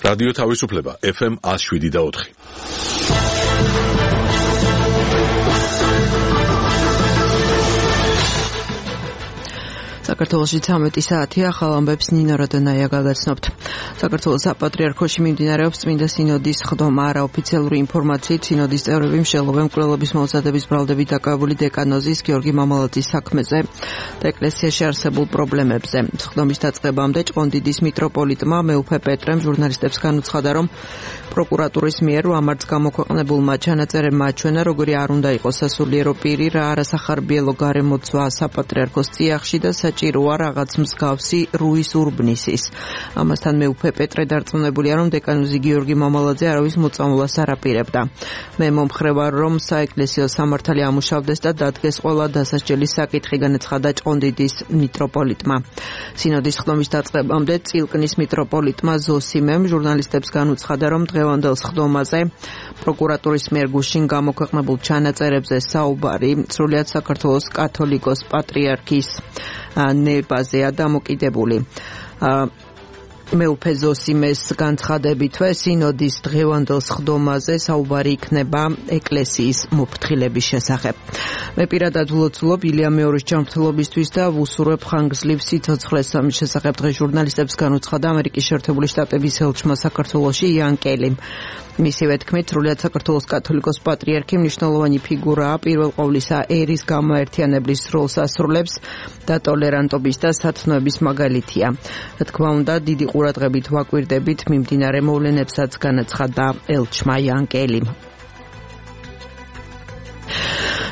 რადიო თავისუფლება FM 107.4. საქართველოში 13 საათია, ახალ ამბებს ნინო როდონაია გაგაცნობთ. საქართველოს საპატრიარქოში მიმდინარეობს წმინდა სინოდის ხდომა. არაოფიციალური ინფორმაციით სინოდის წევრები მსჯელობენ მკვლელობის მომზადების ბრალდებით დაკავებული დეკანოზის გიორგი მამალაძის საქმეზე და ეკლესიაში არსებულ პრობლემებზე. ხდომის დაწყებამდე ჭყონდიდის მიტროპოლიტმა მეუფე პეტრემ ჟურნალისტებს განუცხადა, რომ პროკურატურის მიერ ამარც გამოქვეყნებულმა ჩანაწერებმა აჩვენა, როგორი არ უნდა იყოს სასულიერო პირი, რა არასახარბიელო გარემოცვა საპატრიარქოს წიაღში და საჭიროა რაღაც მსგავსი რუის ურბნისის. ამასთან მეუფე პეტრე დარწმუნებულია, რომ დეკანოზი გიორგი მამალაძე არავის მოწამვლას არ აპირებდა. მე მომხრევარ, რომ საეკლესიო სამართალი ამუშავდეს და დადგეს ყველა დასასჯელის საკითხი, განაცხადა ჭყონდიდის მიტროპოლიტმა. სინოდის ხდომის დაწყებამდე წილკნის მიტროპოლიტმა ზოსიმემ ჟურნალისტებს განუცხადა, რომ დღევანდელ ხდომაზე პროკურატურის მიერ გუშინ გამოქვეყნებულ ჩანაწერებზე საუბარი სრულიად საქართველოს კათოლიკოს პატრიარქის ნებაზეა დამოკიდებული. მეუფე ზოსიმეს განცხადებითვე სინოდის დღევანდელ ხდომაზე საუბარი იქნება ეკლესიის მოფრთხილების შესახებ. მე პირადად ვლოცულობ ილია მეორის ჯანმრთელობისთვის და ვუსურვებ ხანგრძლივ სიცოცხლეს. ამის შესახებ დღეს ჟურნალისტებს განუცხადა ამერიკის შეერთებული შტატების ელჩმა საქართველოში იან კელიმ. მისივე თქმით, სრულიად საქართველოს კათოლიკოს პატრიარქი მნიშვნელოვანი ფიგურაა, პირველ ყოვლისა ერის გამოაერთიანებლის როლს ასრულებს და ტოლერანტობის და სათნოების მაგალითია. რა თქმა უნდა, დიდი ყურადღებით ვაკვირდებით მიმდინარე მოვლენებსაც, განაცხადა ელჩმა იან კელიმ.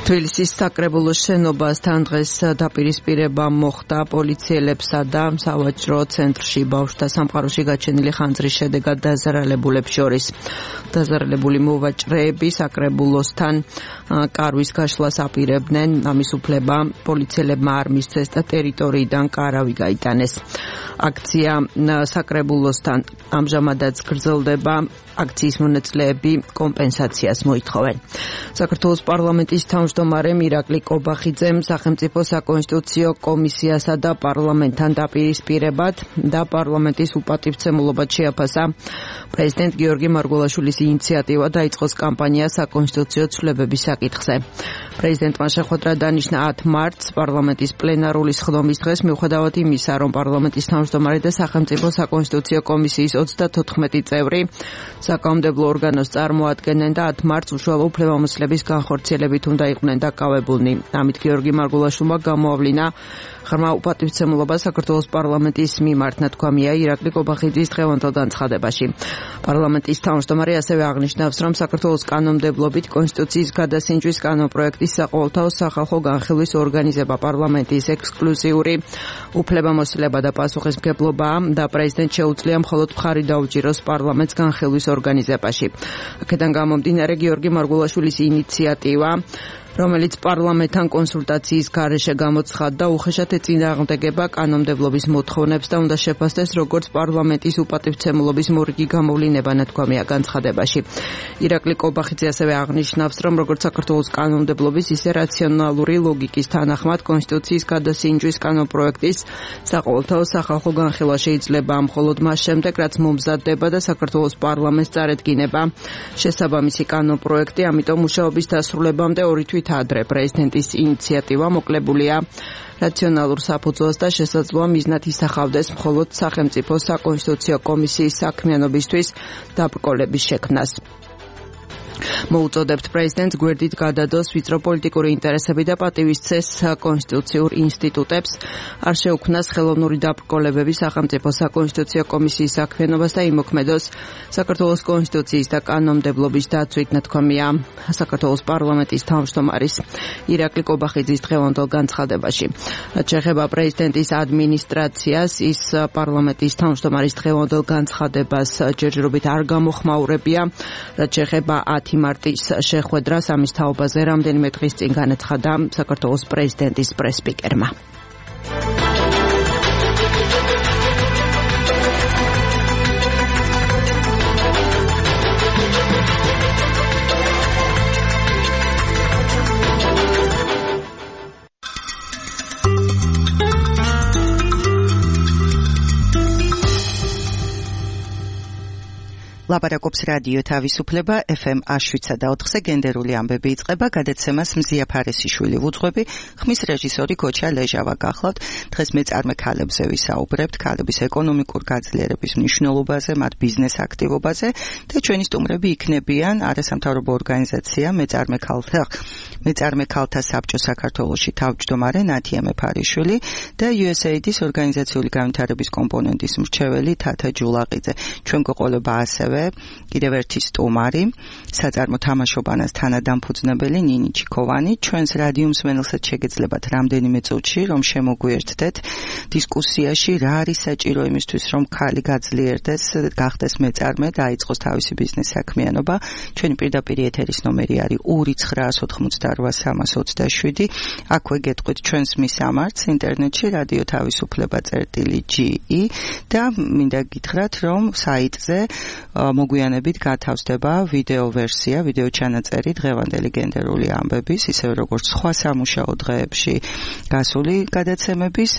თბილისის საკრებულოს შენობასთან დღეს დაპირისპირება მოხდა პოლიციელებსა და სავაჭრო ცენტრში ბავშვთა სამყაროში გაჩენილი ხანძრის შედეგად დაზარალებულებს შორის. დაზარალებული მოვაჭრეები საკრებულოსთან კარვის გაშლას აპირებდნენ, ამის უფლება პოლიციელებმა არ მისცეს და ტერიტორიიდან კარავი გაიტანეს. აქცია საკრებულოსთან ამჟამადაც გრძელდება. აქციის მონაწილეები კომპენსაციას მოითხოვენ. საქართველოს პარლამენტის თავმჯდომარემ ირაკლი კობახიძემ სახელმწიფო საკონსტიტუციო კომისიასა და პარლამენტთან დაპირისპირებად და პარლამენტის უპატივცემულობად შეაფასა პრეზიდენტ გიორგი მარგველაშვილის ინიციატივა დაიწყოს კამპანია საკონსტიტუციო ცვლილებების საკითხზე. პრეზიდენტმა შეხვედრა დანიშნა 10 მარტს პარლამენტის პლენარული სხდომის დღეს, მიუხედავად იმისა, რომ პარლამენტის თავმჯდომარე და სახელმწიფო საკონსტიტუციო კომისიის 34 წევრი საკანონმდებლო ორგანოს წარმოადგენენ და 10 მარტს უშუალო უფლებამოსილების განხორციელებით უნდა იყვნენ დაკავებულნი. ამით გიორგი მარგველაშვილმა გამოავლინა ღრმა უპატივცემულობა საქართველოს პარლამენტის მიმართ, ნათქვამია ირაკლი კობახიძის დღევანდელ განცხადებაში. პარლამენტის თავმჯდომარე ასევე აღნიშნავს, რომ საქართველოს კანონმდებლობით კონსტიტუციის გადასინჯვის კანონპროექტის საყოველთაო სახალხო განხილვის ორგანიზება პარლამენტის ექსკლუზიური უფლებამოსილება და პასუხისმგებლობაა და პრეზიდენტს შეუძლია მხოლოდ მხარი დაუჭიროს პარლამენტს განხილვის ორგანიზებაში. აქედან გამომდინარე გიორგი მარგველაშვილის ინიციატივა, რომელიც პარლამენტთან კონსულტაციის გარეშე გამოცხადდა, უხეშად ეწინააღმდეგება კანონმდებლობის მოთხოვნებს და უნდა შეფასდეს როგორც პარლამენტის უპატივცემულობის მორიგი გამოვლინება, ნათქვამია განცხადებაში. ირაკლი კობახიძე ასევე აღნიშნავს, რომ როგორც საქართველოს კანონმდებლობის, ისე რაციონალური ლოგიკის თანახმად კონსტიტუციის გადასინჯვის კანონპროექტის საყოველთაო სახალხო განხილვა შეიძლება მხოლოდ მას შემდეგ, რაც მომზადდება და საქართველოს პარლამენტს წარედგინება შესაბამისი კანონპროექტი, ამიტომ მუშაობის დასრულებამდე 2 თვის ადრე პრეზიდენტის ინიციატივა მოკლებულია რაციონალურ საფუძველს და შესაძლოა მიზნად ისახავდეს მხოლოდ სახელმწიფო საკონსტიტუციო კომისიის საქმიანობისთვის დაბრკოლების შექმნას. მოუწოდებთ პრეზიდენტს გვერდით გადადოს ვიწრო პოლიტიკური ინტერესები და პატივისცეს კონსტიტუციურ ინსტიტუტებს, არ შეუქმნას ხელოვნური დაბრკოლებები სახელმწიფო საკონსტიტუციო კომისიის საქმიანობას და იმოქმედოს საქართველოს კონსტიტუციის და კანონმდებლობის დაცვით, ნათქვამია საქართველოს პარლამენტის თავმჯდომარის ირაკლი კობახიძის დღევანდელ განცხადებაში. რაც შეეხება პრეზიდენტის ადმინისტრაციას, ის პარლამენტის თავმჯდომარის დღევანდელ განცხადებას ჯერჯერობით არ გამოხმაურებია. რაც შეეხება 10 მარტის შეხვედრას, ამის თაობაზე რამდენიმე დღის წინ განაცხადა საქართველოს პრეზიდენტის პრესსპიკერმა. ლაპარაკობს რადიო თავისუფლება FM 107.4-ზე გენდერული ამბები იწყება, გადაცემას მზია ფარესიშვილი ვუძღვები, ხმის რეჟისორი გოჩა ლეჟავა გახლავთ. დღეს მეწარმე ქალებზე ვისაუბრებთ, ქალების ეკონომიკურ გაძლიერების მნიშვნელობაზე, მათ ბიზნეს აქტივობაზე და ჩვენი სტუმრები იქნებიან არასამთავრობო ორგანიზაცია მეწარმე ქალთა საბჭო საქართველოში თავმჯდომარე ნათია მეფარიშვილი და USAID-ის ორგანიზაციული განვითარების კომპონენტის მრჩეველი თათა ჯულაყიძე. ჩვენ გვყოლება ასევე კიდევ ერთი სტუმარი, საწარმო თამაშობანას თანადამფუძნებელი ნინი ჩიქოვანი. ჩვენს რადიო მსმენელსაც შეგეძლებათ რამდენიმე წუთში, რომ შემოგვიერთდეთ დისკუსიაში, რა არის საჭირო იმისთვის, რომ ქალი გაძლიერდეს, გახდეს მეწარმე და დაიწყოს თავისი ბიზნეს საქმიანობა. ჩვენი პირდაპირ ეთერის ნომერი არის 2988327. აქვე გეტყვით ჩვენს მისამართს ინტერნეტში რადიო თავისუფლება.ge და მინდა გითხრათ, რომ საიტზე მოგვიანებით გათავსდება ვიდეო ვერსია, ვიდეო ჩანაწერი დღევანდელი გენდერული ამბების, ისევე როგორც სხვა სამუშაო დღეებში გასული გადაცემების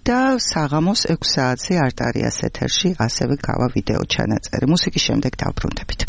და საღამოს 6 საათზე არტარიას ეთერში ასევე გავა ვიდეო ჩანაწერი. მუსიკის შემდეგ დავბრუნდებით.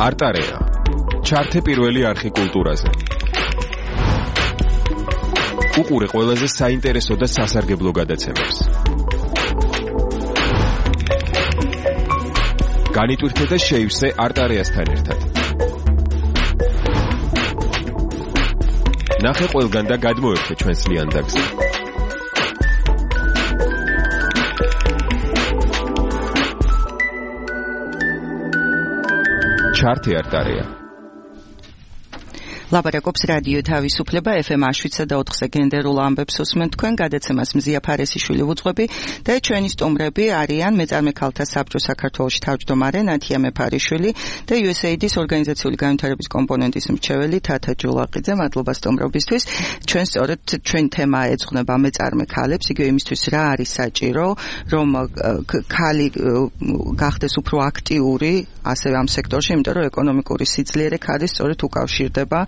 არტარეა. ჩართე პირველი არხი კულტურაზე. უყურე ყველაზე საინტერესო და სასარგებლო გადაცემებს. განიტვირთე და შეივსე არტარეასთან ერთად. ნახე ყველგან და გადმოერთე ჩვენს ლიანდაგზე. ჩართე არტარეა. ლაპარაკობს რადიო თავისუფლება FM 7.4-ზე გენდერულ ამბებს უსმენთ თქვენ გადაცემას მზია ფარესიშვილი ვუძღვები და ჩვენი სტუმრები არიან მეწარმე ქალთა საბჭოს საქართველოში თავმჯდომარე ნათია მეფარიშვილი და USAID-ის ორგანიზაციული განვითარების კომპონენტის მრჩეველი თათა ჯულაყიძე. მადლობა სტუმრობისთვის. ჩვენ სწორედ ჩვენ თემა ეძღვნება მეწარმე ქალებს, იგივე იმისთვის რა არის საჭირო, რომ ქალი გახდეს უფრო აქტიური ასევე ამ სექტორში, იმიტომ რომ ეკონომიკური სიძლიერე ქალის სწორედ უკავშირდება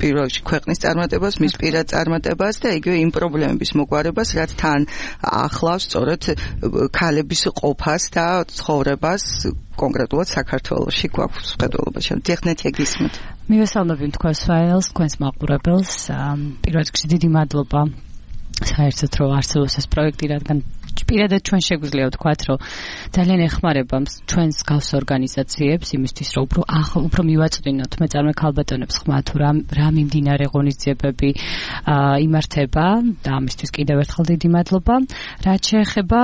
პირველში ქვეყნის წარმატებას, მის პირად წარმატებას და იგივე იმ პრობლემების მოგვარებას, რაც თან ახლავს სწორედ ქალების ყოფას და ცხოვრებას კონკრეტულად საქართველოში გვაქვს მხედველობაში. დიახნეთი გისმენთ. მივესალმები თქვენს ფაილს, თქვენს მაყურებელს. პირველ რიგში დიდი მადლობა საერთოდ რომ არსებობს ეს პროექტი, რადგან პირადად ჩვენ შეგვიძლია ვთქვათ, რომ ძალიან ეხმარება ჩვენს გავს ორგანიზაციებს იმისთვის, რომ უფრო მივაწვდინოთ მეწარმე ქალბატონებს ხმა თუ რა მიმდინარე ღონისძიებები იმართება და ამისთვის კიდევ ერთხელ დიდი მადლობა. რაც შეეხება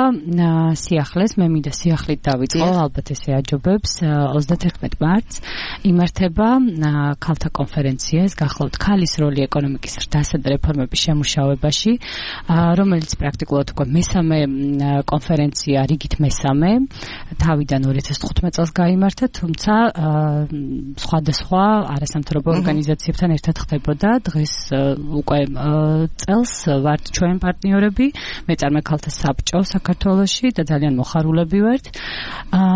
სიახლეს, მე მინდა სიახლით დავიწყო, ალბათ ესე აჯობებს. 31 მარტს იმართება ქალთა კონფერენცია, ეს გახლავთ ქალის როლი ეკონომიკის ზრდასა და რეფორმების შემუშავებაში, რომელიც პრაქტიკულად უკვე მესამე კონფერენცია, რიგით მესამე, თავიდან 2015 წელს გაიმართა, თუმცა სხვადასხვა არასამთავრობო ორგანიზაციებთან ერთად ხდებოდა. დღეს უკვე წელს ვართ ჩვენ პარტნიორები, მეწარმე ქალთა საბჭო საქართველოში და ძალიან მოხარულები ვართ.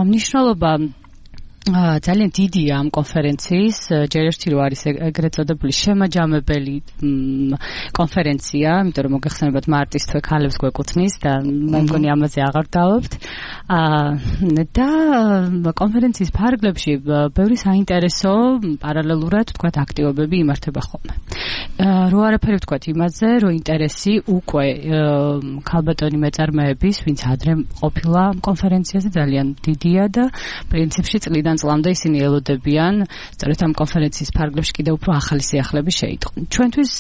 მნიშვნელობა ძალიან დიდია ამ კონფერენციის, ჯერ ერთი რო არის ეგრეთ წოდებული შემაჯამებელი კონფერენცია, იმიტომ რომ მოგეხსენებათ მარტის თვე ქალებს გვეკუთვნის და მე მგონი ამაზე აღარ დავობთ. და კონფერენციის ფარგლებში ბევრი საინტერესო პარალელურად ვთქვათ აქტივობები იმართება ხოლმე. რო არაფერი ვთქვათ იმაზე, რომ ინტერესი უკვე ქალბატონი მეწარმეების, ვინც ადრე ყოფილა კონფერენციაზე, ძალიან დიდია და პრინციპში წლიდან წლამდე ისინი ელოდებიან სწორედ ამ კონფერენციის ფარგლებში კიდევ უფრო ახალი სიახლეები შეიტყონ. ჩვენთვის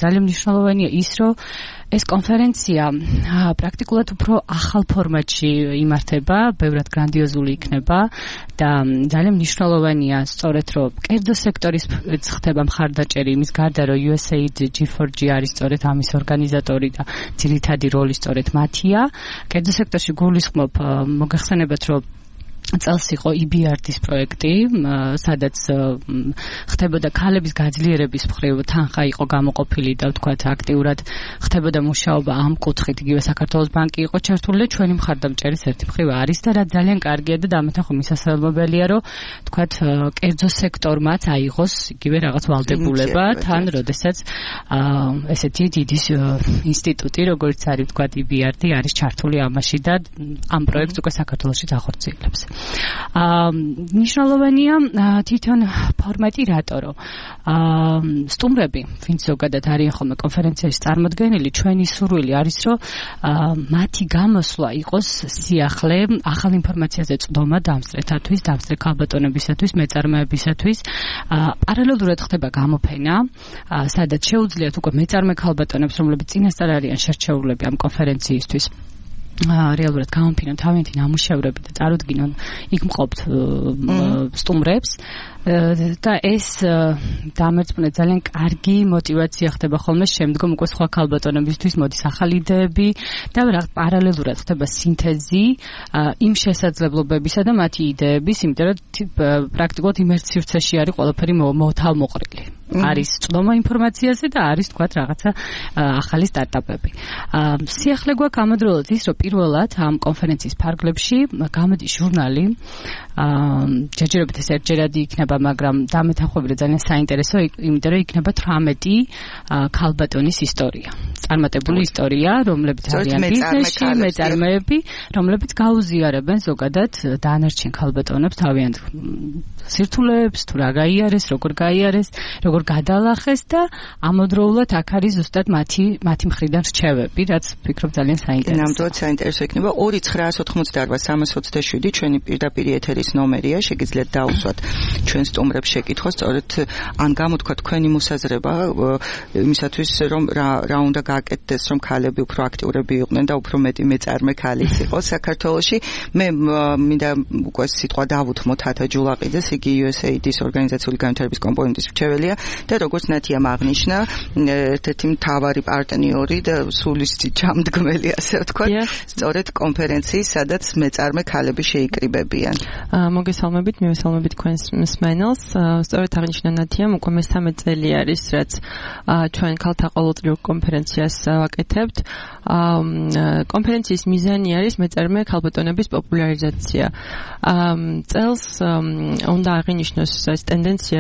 ძალიან მნიშვნელოვანია ის, რომ ეს კონფერენცია პრაქტიკულად უფრო ახალ ფორმატში იმართება, ბევრად გრანდიოზული იქნება და ძალიან მნიშვნელოვანია სწორედ რომ კერძო სექტორის ხდება მხარდაჭერი იმის გარდა რომ USAID G4G არის სწორედ ამის ორგანიზატორი და ძირითადი როლი სწორედ მათია. კერძო სექტორში გულისხმობ მოგეხსენებათ რომ წელს იყო EBRD-ის პროექტი, სადაც ხდებოდა ქალების გაძლიერების მხრივ თანხა იყო გამოყოფილი და ვთქვათ აქტიურად ხდებოდა მუშაობა ამ კუთხით. იგივე საქართველოს ბანკი იყო ჩართული და ჩვენი მხარდამჭერის ერთი მხრივ არის და რა ძალიან კარგია და დამეთანხო მისასალმებელია, რომ ვთქვათ კერძო სექტორმაც აიღოს იგივე რაღაც ვალდებულება თან, როდესაც ესეთი დიდი ინსტიტუტი, როგორც არის ვთქვათ EBRD, არის ჩართული ამაში და ამ პროექტს უკვე საქართველოში ახორციელებს. მნიშვნელოვანია თვითონ ფორმატი რატო? სტუმრები, ვინც ზოგადად არიან ხოლმე კონფერენციაში წარმოდგენილი, ჩვენი სურვილი არის, რომ მათი გამოსვლა იყოს სიახლე ახალ ინფორმაციაზე წვდომა დამსწრეთათვის, დამსწრე ქალბატონებისათვის, მეწარმეებისათვის. პარალელურად ხდება გამოფენა, სადაც შეუძლიათ უკვე მეწარმე ქალბატონებს, რომლებიც წინასწარ არიან შერჩეულები ამ კონფერენციისთვის, რეალურად გამოფინონ თავიანთი ნამუშევრები და წარუდგინონ იქ მყოფ სტუმრებს და ეს დამერწმუნე ძალიან კარგი мотиваცია ხდება ხოლმე შემდგომ უკვე სხვა ქალბატონებისთვის მოდის ახალი იდეები და პარალელურად ხდება სინთეზი იმ შესაძლებლობებისა და მათი იდეების, იმიტომ რომ პრაქტიკულად იმერც სივრცეში არის ყველაფერი მოთავმოყრილი. არის წვდომა ინფორმაციაზე და არის თქვათ რაღაცა ახალი სტარტაპები. სიახლე გვაქვს ამავდროულად ის, რომ პირველად ამ კონფერენციის ფარგლებში გამოდის ჟურნალი. ჯერჯერობით ეს ერთჯერადი იქნება, მაგრამ დამეთანხმებით ძალიან საინტერესო, იმიტომ რომ იქნება 18 ქალბატონის ისტორია. წარმატებული ისტორია, რომლებიც არიან ბიზნესში, მეწარმეები, რომლებიც გაუზიარებენ ზოგადად დანარჩენ ქალბატონებს თავიანთ სირთულეებს, თუ რა გაიარეს, როგორ გაიარეს, როგორ გადალახეს და ამოდროულად აქ არის ზუსტად მათი მხრიდან რჩევები, რაც ვფიქრობ ძალიან საინტერესოა. ნამდვილად საინტერესო იქნება. 2-988-27 ჩვენი პირდაპირ ეთერის ნომერია, შეგიძლიათ დაუსვათ ჩვენ სტუმრებს შეკითხვას, სწორედ ან გამოთქვა თქვენი მოსაზრება იმისათვის, რომ რა უნდა გააკეთდეს, რომ ქალები უფრო აქტიურები იყვნენ და უფრო მეტი მეწარმე ქალიც იყოს საქართველოში. მე მინდა უკვე სიტყვა დავუთმოთ ათა ჯულაყიძეს, იგი USAID-ის ორგანიზაციული განვითარების კომპონენტის მრჩეველია და როგორც ნათიამ აღნიშნა, ერთ-ერთი მთავარი პარტნიორი და სულისტი ჯამდგმელი, ასე ვთქვათ, სწორედ კონფერენციის, სადაც მეწარმე ქალები შეიკრიბებიან. მოგესალმებით, მივესალმებით თქვენს მსმენელს. სწორედ აღნიშნა ნათიამ, უკვე მე-13 წელი არის, რაც ჩვენ ქალთა ყოველწლიურ კონფერენციას ვაკეთებთ. კონფერენციის მიზანი არის მეწარმე ქალბატონების პოპულარიზაცია. წელს უნდა აღინიშნოს ეს ტენდენცია,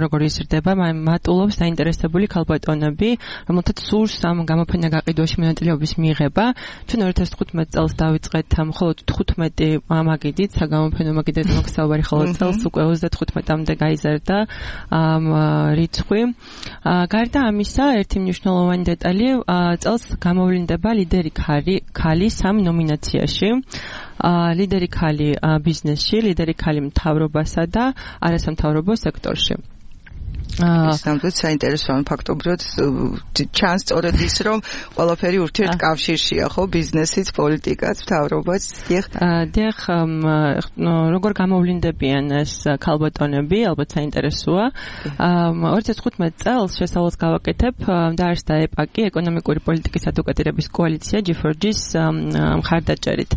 როგორ იზრდება, მატულობს დაინტერესებული ქალბატონები, რომელთაც სურს ამ გამოფენა გაყიდვაში მონაწილეობის მიღება. ჩვენ 2015 წელს დავიწყეთ მხოლოდ 15 მაგიდით, საგამოფენო მაგიდით მოგსაუბარი, ხოლო წელს უკვე 35-მდე გაიზარდა რიცხვი. გარდა ამისა, ერთი მნიშვნელოვანი დეტალი, წელს გამოვლინდება ლიდერი ქალი 3 ნომინაციაში. ლიდერი ქალი ბიზნესში, ლიდერი ქალი მთავრობასა და არასამთავრობო სექტორში. ნამდვილად საინტერესოა ფაქტობრივად ჩანს სწორედ ის, რომ ყველაფერი ურთიერთკავშირშია, ხო, ბიზნესიც, პოლიტიკაც, მთავრობაც. დიახ, როგორ გამოვლინდებიან ეს ქალბატონები, ალბათ საინტერესოა. 2015 წელს შესავალს გავაკეთებ, დაარსდა ეპაკი, ეკონომიკური პოლიტიკის ადვოკატირების კოალიცია G4G-ის მხარდაჭერით.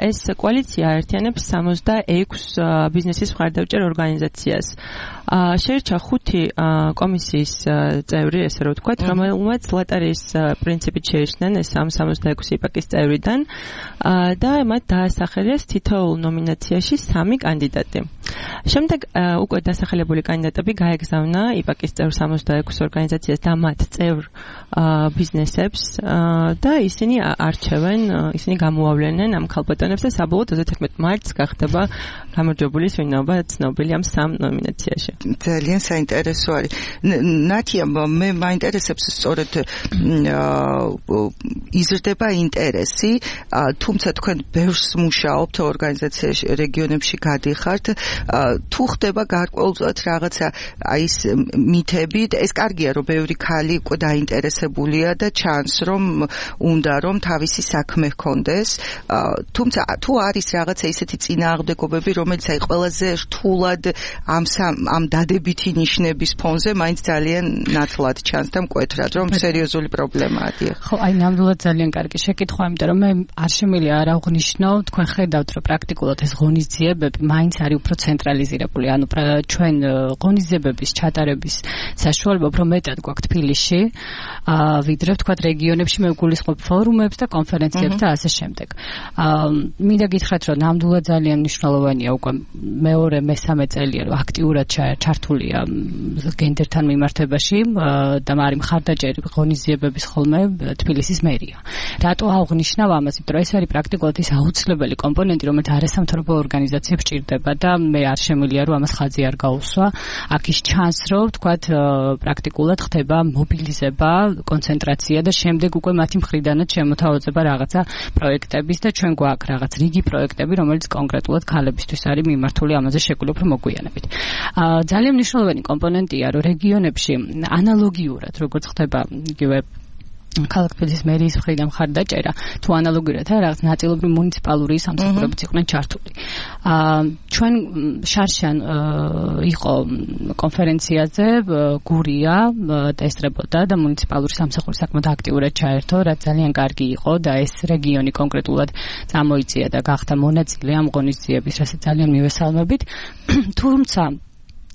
ეს კოალიცია აერთიანებს 66 ბიზნესის მხარდაჭერ ორგანიზაციას. შეირჩა 5 კომისიის წევრი, ესე რომ ვთქვათ, რომელმაც ლოტარიის პრინციპით შეიჩნენ ეს 66 ეპაკის წევრიდან და მათ დაასახელეს თითოეულ ნომინაციაში 3 კანდიდატი. შემდეგ უკვე დასახელებული კანდიდატები გაეგზავნა ეპაკის წევრ 66 ორგანიზაციას და მათ წევრ ბიზნესებს და ისინი არჩევენ, ისინი გამოავლენენ ამ ქალბატონებს და საბოლოოდ 31 მარტს გახდება გამარჯვებული სვინობა ცნობილი ამ 3 ნომინაციაში. ძალიან საინტერესო არის. ნათია, მე მაინტერესებს სწორედ იზრდება ინტერესი, თუმცა თქვენ ბევრს მუშაობთ ორგანიზაციაში, რეგიონებში გადიხართ, თუ ხდება გარკვეულწილად რაღაცა აი ეს მითები, ეს კარგია, რომ ბევრი ქალი უკვე დაინტერესებულია და ჩანს, რომ უნდა რომ თავისი საქმე ჰქონდეს, თუმცა თუ არის რაღაცა ისეთი წინააღმდეგობები, რომელიც აი ყველაზე რთულად ამ დადებითი ნიშნების ფონზე მაინც ძალიან ნათლად ჩანს და მკვეთრად, რომ სერიოზული პრობლემაა. ხო, აი ნამდვილად ძალიან კარგი შეკითხვა, იმიტომ რომ მე არ შემიძლია არ აღვნიშნო, თქვენ ხედავთ, რომ პრაქტიკულად ეს ღონისძიებები მაინც არის უფრო ცენტრალიზირებული. ანუ ჩვენ ღონისძიებების ჩატარების საშუალება უფრო მეტად გვაქვს თბილისში, ვიდრე ვთქვათ რეგიონებში, მე ვგულისხმობ ფორუმებს და კონფერენციებს და ასე შემდეგ. მინდა გითხრათ, რომ ნამდვილად ძალიან მნიშვნელოვანია უკვე მეორე მესამე წელია, რომ აქტიურად ჩართულია გენდერთან მიმართებაში და მარი მხარდაჭერი ღონისძიებების ხოლმე თბილისის მერია. რატო აღვნიშნავ ამას? იმიტომ რომ ეს არის პრაქტიკულად ის აუცილებელი კომპონენტი, რომელიც არასამთავრობო ორგანიზაციებს ჭირდება და მე არ შემიძლია რომ ამას ხაზი არ გაუსვა. აქ ის ჩანს, რომ ვთქვათ პრაქტიკულად ხდება მობილიზება, კონცენტრაცია და შემდეგ უკვე მათი მხრიდანაც შემოთავაზება რაღაცა პროექტების და ჩვენ გვაქვს რაღაც რიგი პროექტები, რომელიც კონკრეტულად ქალებისთვის არის მიმართული ამაზე შეგვიძლია უფრო მოგვიანებით. ძალიან მნიშვნელოვანი კომპონენტია, რომ რეგიონებში ანალოგიურად, როგორც ხდება იგივე ქალაქ თბილისის მერიის მხრიდან მხარდაჭერა, თუ ანალოგიურად რაღაც ნაწილობრივ მუნიციპალური სამსახურებიც იყვნენ ჩართული. ჩვენ შარშან იყო კონფერენციაზე, გურია და ესწრებოდა და მუნიციპალური სამსახური საკმაოდ აქტიურად ჩაერთო, რაც ძალიან კარგი იყო და ეს რეგიონი კონკრეტულად წამოიწია და გახდა მონაწილე ამ ღონისძიების, რასაც ძალიან მივესალმებით. თუმცა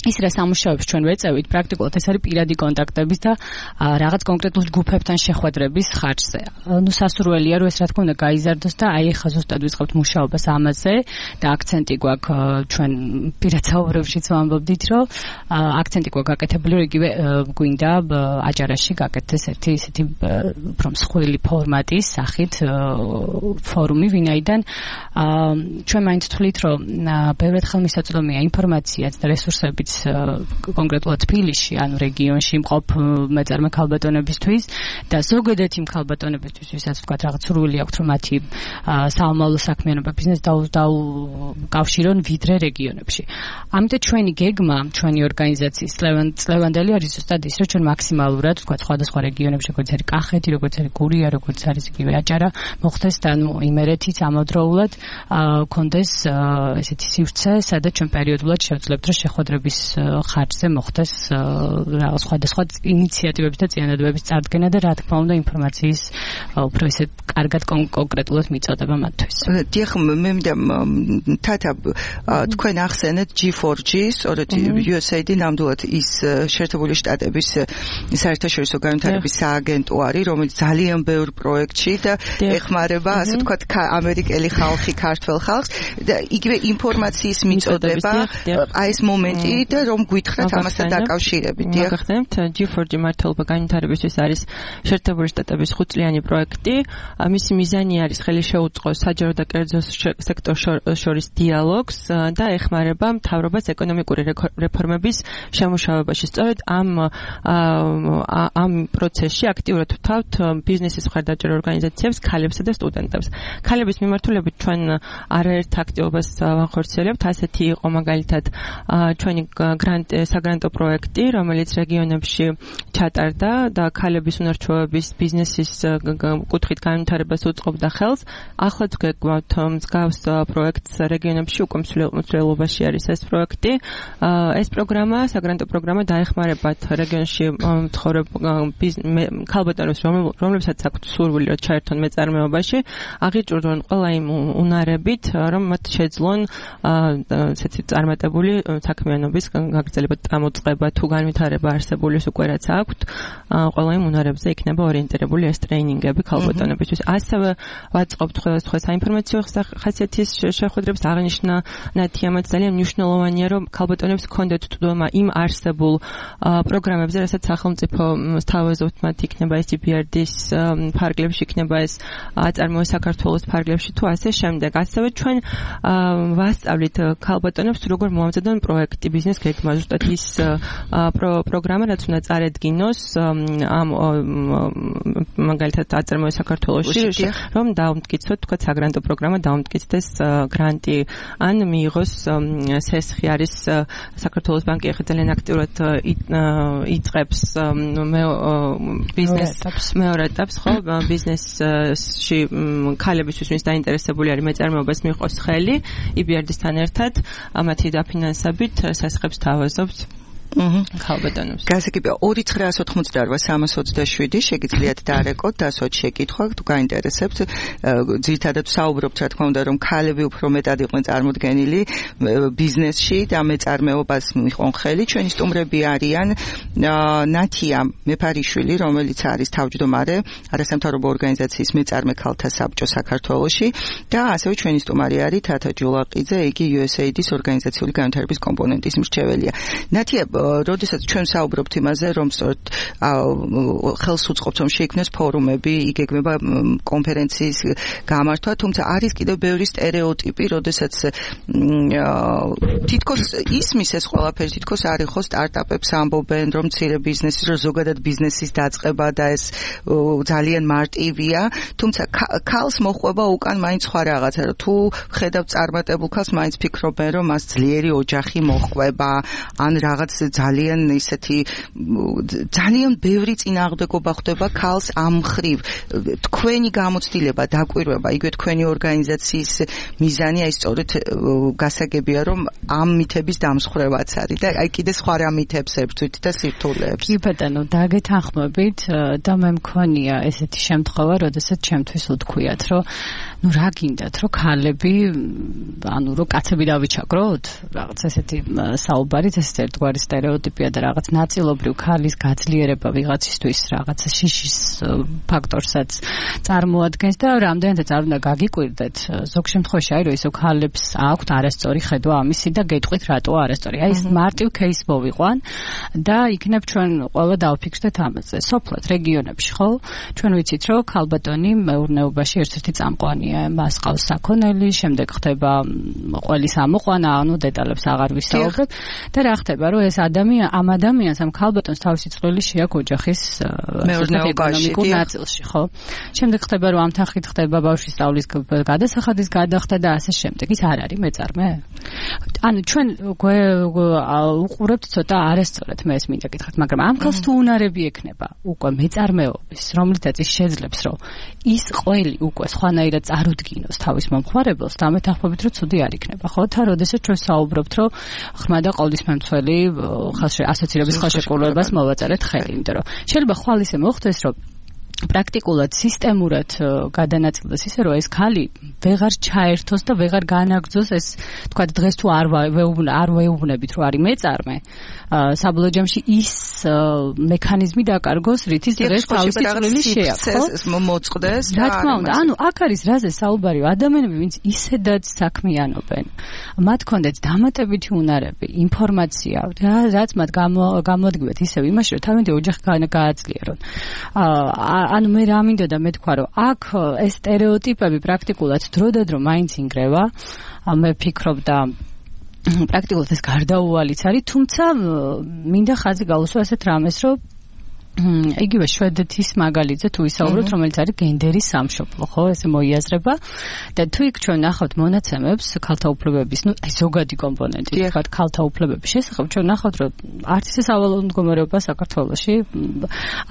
ის რა სამუშაოებს ჩვენ ვეწევით, პრაქტიკულად ეს არის პირადი კონტაქტების და რაღაც კონკრეტულ ჯგუფებთან შეხვედრების ხარჯზე. ნუ სასურველია, რომ ეს რა თქმა უნდა გაიზარდოს და აი ახლა ზუსტად ვიწყებთ მუშაობას ამაზე და აქცენტი გვაქვს ჩვენ პირად საუბრებშიც ვამბობდით, რომ აქცენტი გვაქვს გაკეთებული, რომ იგივე გვინდა აჭარაში გაკეთდეს ესეთი უფრო მსხვილი ფორმატის სახით ფორუმი, ვინაიდან ჩვენ მაინც თვლით, რომ ბევრად ხელმისაწვდომია ინფორმაციაც და რესურსებიც კონკრეტულად თბილისში, ანუ რეგიონში მყოფ მეწარმე ქალბატონებისთვის და ზოგადად იმ ქალბატონებისთვის, ვისაც ვთქვათ რაღაც სურვილი აქვთ, რომ მათი საომავლო საქმიანობა ბიზნესი დაუკავშირონ ვიდრე რეგიონებში. ამიტომ ჩვენი გეგმა, ჩვენი ორგანიზაციის წლევანდელი არის ზუსტად ის, რომ ჩვენ მაქსიმალურად ვთქვათ სხვადასხვა რეგიონებში, როგორც არის კახეთი, როგორც არის გურია, როგორც არის იგივე აჭარა, მოხდეს და იმერეთიც ამავდროულად კონდეს ესეთი სივრცე, სადაც ჩვენ პერიოდულად შევძლებთ, რომ შეხვედრების ხარჯზე მოხდეს რაღაც სხვადასხვა ინიციატივების და წინადადებების წარდგენა და რა თქმა უნდა ინფორმაციის უფრო ისე კარგად კონკრეტულად მიწოდება მათთვის. დიახ, მე მინდა თათა თქვენ ახსენეთ G4G, სწორედ USAID ნამდვილად ის შეერთებული შტატების საერთაშორისო განვითარების სააგენტო არის, რომელიც ძალიან ბევრ პროექტში და ეხმარება, ასე ვთქვათ, ამერიკელი ხალხი, ქართველ ხალხს და იგივე ინფორმაციის მიწოდება, აი ეს მომენტი და რომ გითხრათ ამასთან დაკავშირებით. გახსენებთ G4G მართლობა განვითარებისთვის არის შეერთებული შტატების 5 წლიანი პროექტი. მისი მიზანი არის ხელი შეუწყოს საჯარო და კერძო სექტორს შორის დიალოგს და ეხმარება მთავრობას ეკონომიკური რეფორმების შემუშავებაში. სწორედ ამ პროცესში აქტიურად ვთავთ ბიზნესის მხარდაჭერა ორგანიზაციებს, ქალებსა და სტუდენტებს. ქალების მიმართულებით ჩვენ არაერთ აქტივობას ვახორციელებთ. ასეთი იყო მაგალითად ჩვენი საგრანტო პროექტი, რომელიც რეგიონებში ჩატარდა და ქალების უნარჩვევების ბიზნესის კუთხით განვითარებას უწყობდა ხელს. ახლაც გვაქვს მსგავს პროექტს რეგიონებში, უკვე მსვლელობაში არის ეს პროექტი. ეს პროგრამა, საგრანტო პროგრამა დაეხმარებათ რეგიონში მცხოვრებ ქალბატონებს, რომლებსაც აქვთ სურვილი, რომ ჩაერთონ მეწარმეობაში, აღიჭურონ ყველა იმ უნარებით, რომ მათ შეძლონ ესეთი წარმატებული საქმიანობის გაგრძელება, წამოწყება თუ განვითარება არსებული უკვე რაც აქვთ, ყველა იმ უნარებზე იქნება ორიენტირებული ეს ტრეინინგები ქალბატონებისთვის. ასევე ვაწყობთ სხვადასხვა საინფორმაციო ხასიათის შეხვედრებს. აღნიშნა ნათიამაც ძალიან მნიშვნელოვანია, რომ ქალბატონებს ჰქონდეთ თვდომა იმ არსებულ პროგრამებზე, რასაც სახელმწიფო სთავაზობთ, მათ იქნება ეს EBRD-ის ფარგლებში, იქნება ეს აწარმოე საქართველოს ფარგლებში თუ ასე შემდეგ. ასევე ჩვენ ვასწავლით ქალბატონებს როგორ მოამზადონ პროექტი, ბიზნეს გეგმა, ზუსტად ის პროგრამა, რაც უნდა წარედგინოს ამ მაგალითად აწარმოე საქართველოში, რომ დაუმტკიცოთ, თქვა საგრანტო პროგრამა დაუმტკიცდეს გრანტი, ან მიიღოს სესხი არის საქართველოს ბანკი ახლა ძალიან აქტიურად იწყებს ბიზნესს მეორე ეტაპს, ხო, ბიზნესში ქალებისთვის, ვინც დაინტერესებული არის მეწარმეობას, მიიღოს ხელი EBRD-სთან ერთად, მათი დაფინანსებით სასხებს თავაზობთ. ქალბატონებს. გასაგებია 2988327 შეგიძლიათ დაარეკოთ, დასვათ შეკითხვა, თუ გაინტერესებთ. ძირითადად საუბრობთ, რა თქმა უნდა, რომ ქალები უფრო მეტად იყვნენ წარმოდგენილი ბიზნესში და მეწარმეობას მიიღონ ხელი. ჩვენი სტუმრები არიან ნათია მეფარიშვილი, რომელიც არის თავმჯდომარე არასამთავრობო ორგანიზაციის მეწარმე ქალთა საბჭო საქართველოში და ასევე ჩვენი სტუმარი არის თათა ჯულაყიძე, იგი USAID-ის ორგანიზაციული განვითარების კომპონენტის მრჩეველია. ნათია, როდესაც ჩვენ საუბრობთ იმაზე, რომ სწორედ ხელს უწყობთ, რომ შეიქმნეს ფორუმები, იგეგმება კონფერენციის გამართვა, თუმცა არის კიდევ ბევრი სტერეოტიპი, როდესაც თითქოს ისმის ეს ყველაფერი, თითქოს არის ხო სტარტაპებს ამბობენ, რომ მცირე ბიზნესის, რომ ზოგადად ბიზნესის დაწყება და ეს ძალიან მარტივია, თუმცა ქალს მოხვება უკან მაინც სხვა რაღაცა, რომ თუ ხედავ წარმატებულ ქალს, მაინც ფიქრობენ, რომ მას ძლიერი ოჯახი მოჰყვება, ან რაღაც ძალიან ისეთი ძალიან ბევრი წინააღმდეგობა ხდება ქალს ამ მხრივ. თქვენი გამოცდილება, დაკვირვება, იგივე თქვენი ორგანიზაციის მიზანი აი სწორედ გასაგებია, რომ ამ მითების დამსხვრევაც არის და აი კიდე სხვა რა მითებს ებრძვით და სირთულეებს. კი ბატონო, დაგეთანხმებით და მე მქონია ესეთი შემთხვევა, როდესაც ჩემთვის უთქვიათ, რომ ну რა გინდათ, რომ ქალები, ანუ რომ კაცები დავიჩაგროთ, რაღაც ესეთი საუბარით, ესეთი ერთგვარი სტერეოტიპია და რაღაც ნაწილობრივ ქალის გაძლიერება ვიღაცისთვის რაღაცა შიშის ფაქტორსაც წარმოადგენს და რამდენადაც არ უნდა გაგიკვირდეთ, ზოგ შემთხვევაში აი რომ ისო ქალებს აქვთ არასწორი ხედვა ამისი და გეტყვით რატოა არასწორი. აი ეს მარტივ кейს მოვიყვან და იქნებ ჩვენ ყველა დავფიქსდეთ ამაზე. სოფლად რეგიონებში ხო? ჩვენ ვიცით რომ ქალბატონი მეურნეობაში ერთ-ერთი წამყვანია, მას ყავს საქონელი, შემდეგ ხდება ყველის ამოყვანა, ანუ დეტალებს აღარ ვისაუბრებ და რა ხდება რომ ეს ამ ადამიანს ამ ქალბატონს თავისი წვლილი შეაქვს ოჯახის ეკონომიკურ ნაწილში, ხო? შემდეგ ხდება რომ ამ თანხით ხდება ბავშვის სწავლის გადასახადის გადახდა და ასე შემდეგ. ის არ არის მეწარმე? ანუ ჩვენ უყურებთ ცოტა არასწორად მე ეს მინდა გითხრათ, მაგრამ ამ ქალს თუ უნარები ექნება უკვე მეწარმეობის, რომლითაც ის შეძლებს რომ ის ყველი უკვე სხვანაირად წარუდგინოს თავის მომხმარებელს და ამეთანხმებით რომ ცუდი არ იქნება, ხო? თან როდესაც ჩვენ საუბრობთ რომ ხმა და ყოვლისმემცველი ასოცირების ხელშეკრულებას მოვაწარეთ ხელი, იმიტომ რომ შეიძლება ხვალ ისე მოხდეს რომ პრაქტიკულად სისტემურად გადანაწილდეს ისე რომ ეს ქალი ვეღარ ჩაერთოს და ვეღარ განაგრძოს ეს თქვა დღეს თუ არ ვეუბნებით რომ არის მეწარმე საბოლოო ჯამში ის მექანიზმი დაკარგოს რითიც დღეს თავისი წვლილი შეაქვს მოწყდეს რა თქმა უნდა ანუ აქ არის რაზე საუბარი ადამიანები ვინც ისედაც საქმიანობენ მათ კონდეთ დამატებითი უნარები ინფორმაცია რაც მათ გამოადგებათ ისევ იმაში რომ თავიანთი ოჯახი გააძლიერონ ანუ მე რა მინდოდა მე თქვა რომ აქ ეს სტერეოტიპები პრაქტიკულად დროდადრო მაინც ინგრევა მე ვფიქრობ და პრაქტიკულად ეს გარდაუვალიც არის თუმცა მინდა ხაზი გაუსვა ესეთ რამეს რომ იგივე შვედეთის მაგალითზე თუ ვისაუბროთ რომელიც არის გენდერის სამშობლო ხო ესე მოიაზრება და თუ იქ ჩვენ ნახავთ მონაცემებს ქალთა უფლებების ნუ აი ზოგადი კომპონენტი თქვა ქალთა უფლებების შესახებ ჩვენ ნახავთ რომ არც ისე სავალალო მდგომარეობა საქართველოში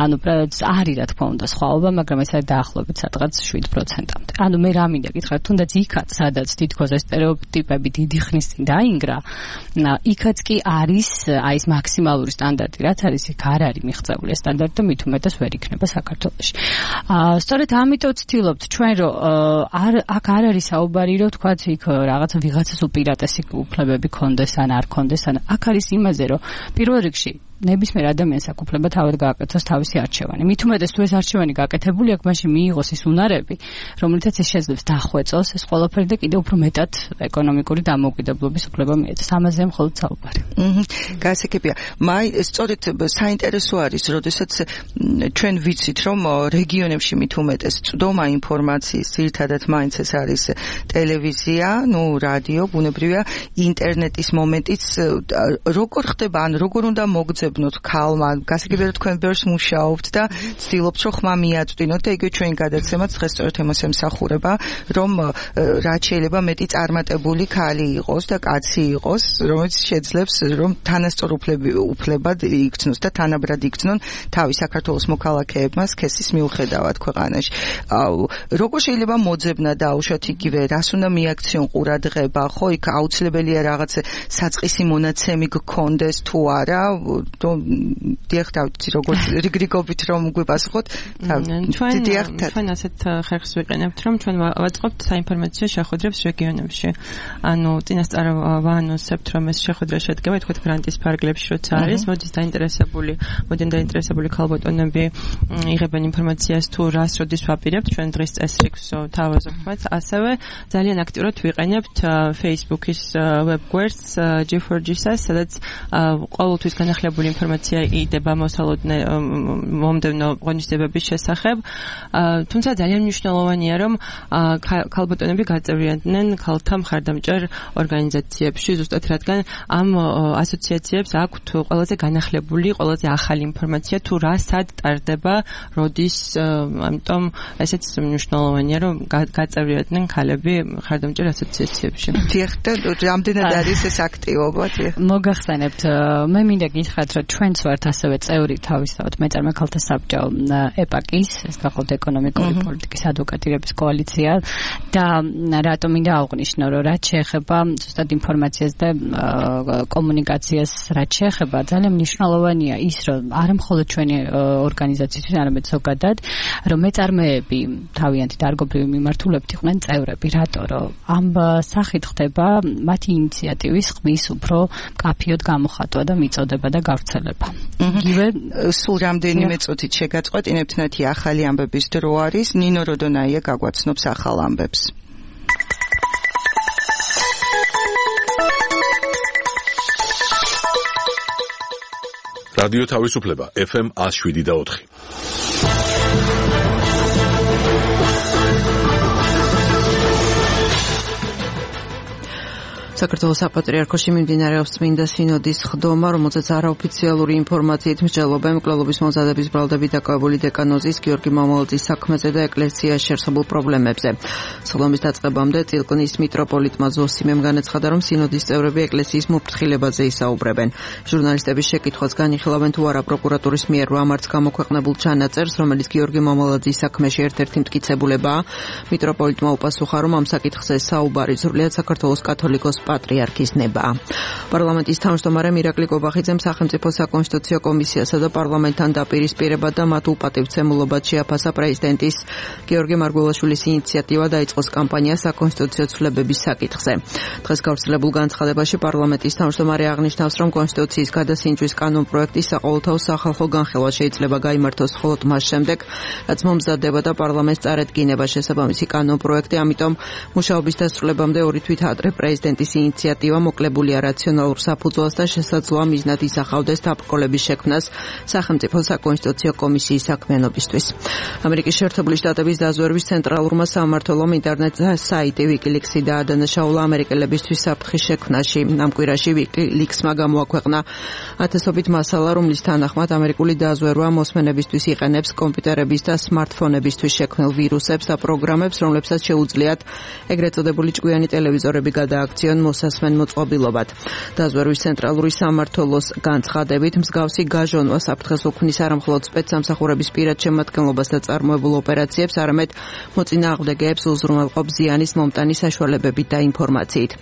ანუ არის რა თქმა უნდა სხვაობა მაგრამ ეს არის დაახლოებით სადღაც 7%-მდე ანუ მე რა მინდა გითხრათ თუნდაც იქაც სადაც თითქოს ეს სტერეოტიპები დიდი ხნის წინ დაინგრა იქაც კი არის აი ეს მაქსიმალური სტანდარტი რაც არის იქ არ არის მიღწეული ეს და მით უმეტეს ვერ იქნება საქართველოში. სწორედ ამიტომ ვცდილობთ ჩვენ რომ აქ არ არის საუბარი რომ თქვათ იქ რაღაცა ვიღაცას უპირატესი უფლებები კონდეს ან არ კონდეს ან აქ არის იმაზე რომ პირველ რიგში ნებისმიერ ადამიანს აქვს უფლება თავად გააკეთოს თავისი არჩევანი. მით უმეტეს თუ ეს არჩევანი გაკეთებული აქვს, მაშინ მიიღოს ის უნარები, რომლითაც ის შეძლებს დახვეწოს ეს ყველაფერი და კიდევ უფრო მეტად ეკონომიკური დამოუკიდებლობის უფლება მიეცეს. ამაზე მხოლოდ საუბარი. გასაგებია. სწორედ საინტერესო არის, როდესაც ჩვენ ვიცით, რომ რეგიონებში მით უმეტეს წვდომა ინფორმაციის, ძირითადად მაინც ეს არის ტელევიზია, რადიო, ბუნებრივია, ინტერნეტის მომენტიც როგორ ხდება, ან როგორ უნდა მოგძებნოთ ქალმა, გასაგებია რომ თქვენ ბევრს მუშაობთ და ცდილობთ რომ ხმა მიაწვდინოთ და იგივე ჩვენი გადაცემაც დღეს სწორედ იმას ემსახურება, რომ რაც შეიძლება მეტი წარმატებული ქალი იყოს და კაცი იყოს, რომელიც შეძლებს რომ თანასწორ უფლებად იქცნოს და თანაბრად იქცნონ თავი საქართველოს მოქალაქეებმა სქესის მიუხედავად ქვეყანაში. როგორ შეიძლება მოძებნა დაუშვათ იგივე, რას უნდა მიაქციონ ყურადღება, ხო, იქ აუცილებელია რაღაც საწყისი მონაცემი გქონდეს თუ არა, დიახ, დავიცი როგორც რიგრიგობით რომ გვიპასუხოთ. ჩვენ ასეთ ხერხს ვიყენებთ, რომ ჩვენ ვაწყობთ საინფორმაციო შეხვედრებს რეგიონებში. ანუ წინასწარ ვაანონსებთ, რომ ეს შეხვედრა შედგება თქვათ გრანტის ფარგლებში, როცა არის, მოდით დაინტერესებული ქალბატონები იღებენ ინფორმაციას თუ რას როდის ვაპირებთ, ჩვენ დღის წესრიგს თავაზობთ, ასევე ძალიან აქტიურად ვიყენებთ Facebook-ის web გვერდს G4G-ს, სადაც ყოველთვის განახლებული დეტალური ინფორმაცია იდება მომდევნო ღონისძიებების შესახებ. თუმცა ძალიან მნიშვნელოვანია, რომ ქალბატონები გაწევრიანდნენ ქალთა მხარდამჭერ ორგანიზაციებში, ზუსტად რადგან ამ ასოციაციებს აქვთ ყველაზე განახლებული, ყველაზე ახალი ინფორმაცია თუ რა სად ტარდება, როდის, ამიტომ ესეც მნიშვნელოვანია, რომ გაწევრიანდნენ ქალები მხარდამჭერ ასოციაციებში. დიახ, და რამდენად არის ეს აქტივობა? მოგახსენებთ, მე მინდა გითხრათ, რომ ჩვენც ვართ ასევე წევრი თავისთავად მეწარმე ქალთა საბჭო ეპაკის, ეს გახლავთ ეკონომიკური პოლიტიკის ადვოკატირების კოალიცია და რატომ მინდა აღვნიშნო, რომ რაც შეეხება ზუსტად ინფორმაციას და კომუნიკაციას, რაც შეეხება, ძალიან მნიშვნელოვანია ის, რომ არა მხოლოდ ჩვენი ორგანიზაციისთვის, არამედ ზოგადად, რომ მეწარმეები თავიანთი დარგობრივი მიმართულებით იყვნენ წევრები, რატო რომ ამ სახით ხდება მათი ინიციატივის ხმის უფრო მკაფიოდ გამოხატვა და მიწოდება და გავრცელება. იგივე სულ რამდენიმე წუთით შეგაწყვეტინებთ ნათი ახალი ამბების დრო არის, ნინო როდონაია გაგვაცნობს ახალ ამბებს. რადიო თავისუფლება FM 107.4. საქართველოს საპატრიარქოში მიმდინარეობს წმინდა სინოდის ხდომა, რომელზეც არაოფიციალური ინფორმაციით მსჯელობენ მკვლელობის მომზადების ბრალდებით დაკავებული დეკანოზის გიორგი მამულაძის საქმეზე და ეკლესიაში არსებულ პრობლემებზე. სხდომის დაწყებამდე წილკნის მიტროპოლიტმა ზოსიმემ განაცხადა, რომ სინოდის წევრები ეკლესიის მოფრთხილებაზე ისაუბრებენ. ჟურნალისტების შეკითხვას განიხილავენ თუ არა პროკურატურის მიერ რამართ გამოქვეყნებულ ჩანაწერს, რომელიც გიორგი მამულაძის საქმეში ერთ-ერთი მტკიცებულებაა. მიტროპოლიტმა უპასუხა, რომ ამ საკითხზე საუბარი სრულიად საქართველოს კათოლიკოს პატრიარქის ნება. პარლამენტის თავმჯდომარე მირაკლი კობახიძემ სახელმწიფო საკონსტიტუციო კომისიასა და პარლამენტთან დაპირისპირება და მათ უპატივცემულობად შეაფასა პრეზიდენტის გიორგი მარგველაშვილის ინიციატივა დაიწყოს კამპანია საკონსტიტუციო ცვლილებების საკითხზე. დღეს გავრცელებულ განცხადებაში პარლამენტის თავმჯდომარე აღნიშნავს, რომ კონსტიტუციის გადასინჯვის კანონპროექტი საყოველთაო სახალხო განხილვა შეიძლება გაიმართოს მხოლოდ მას შემდეგ, რაც მომზადება და პარლამენტს წარედგინება შესაბამისი კანონპროექტი, ამიტომ მუშაობის დასრულებამდე ორი თვით ადრე პრეზიდენტის ინიციატივა მოკლებულია რაციონალურ საფუძველს და შესაძლოა მიზნად ისახავდეს დაბრკოლების შექმნას სახელმწიფო საკონსტიტუციო კომისიის საქმიანობისთვის. ამერიკის შეერთებული შტატების დაზვერვის ცენტრალურმა სამმართველომ ინტერნეტ საიტი WikiLeaks-ი დაადანაშაულა ამერიკელებისთვის საფრთხის შექმნაში. ამ კვირაში WikiLeaks-მა გამოაქვეყნა ათასობით მასალა, რომლის თანახმად ამერიკული დაზვერვა მოსმენებისთვის იყენებს კომპიუტერების და სმარტფონებისთვის შექმნილ ვირუსებს და პროგრამებს, რომლებსაც შეუძლიათ ეგრეთ წოდებული ჭკვიანი ტელევიზორები გადააქციონ მოსასმენ მოწყობილობად. დაზვერვის ცენტრალური სამმართველოს განცხადებით, მსგავსი გაჟონვა საფრთხეს უქმნის არა მხოლოდ სპეცსამსახურების პირად შემადგენლობას და წარმოებულ ოპერაციებს, არამედ მოწინააღმდეგეებს უზრუნველყოფს ზიანის მომტანი საშუალებებით და ინფორმაციით.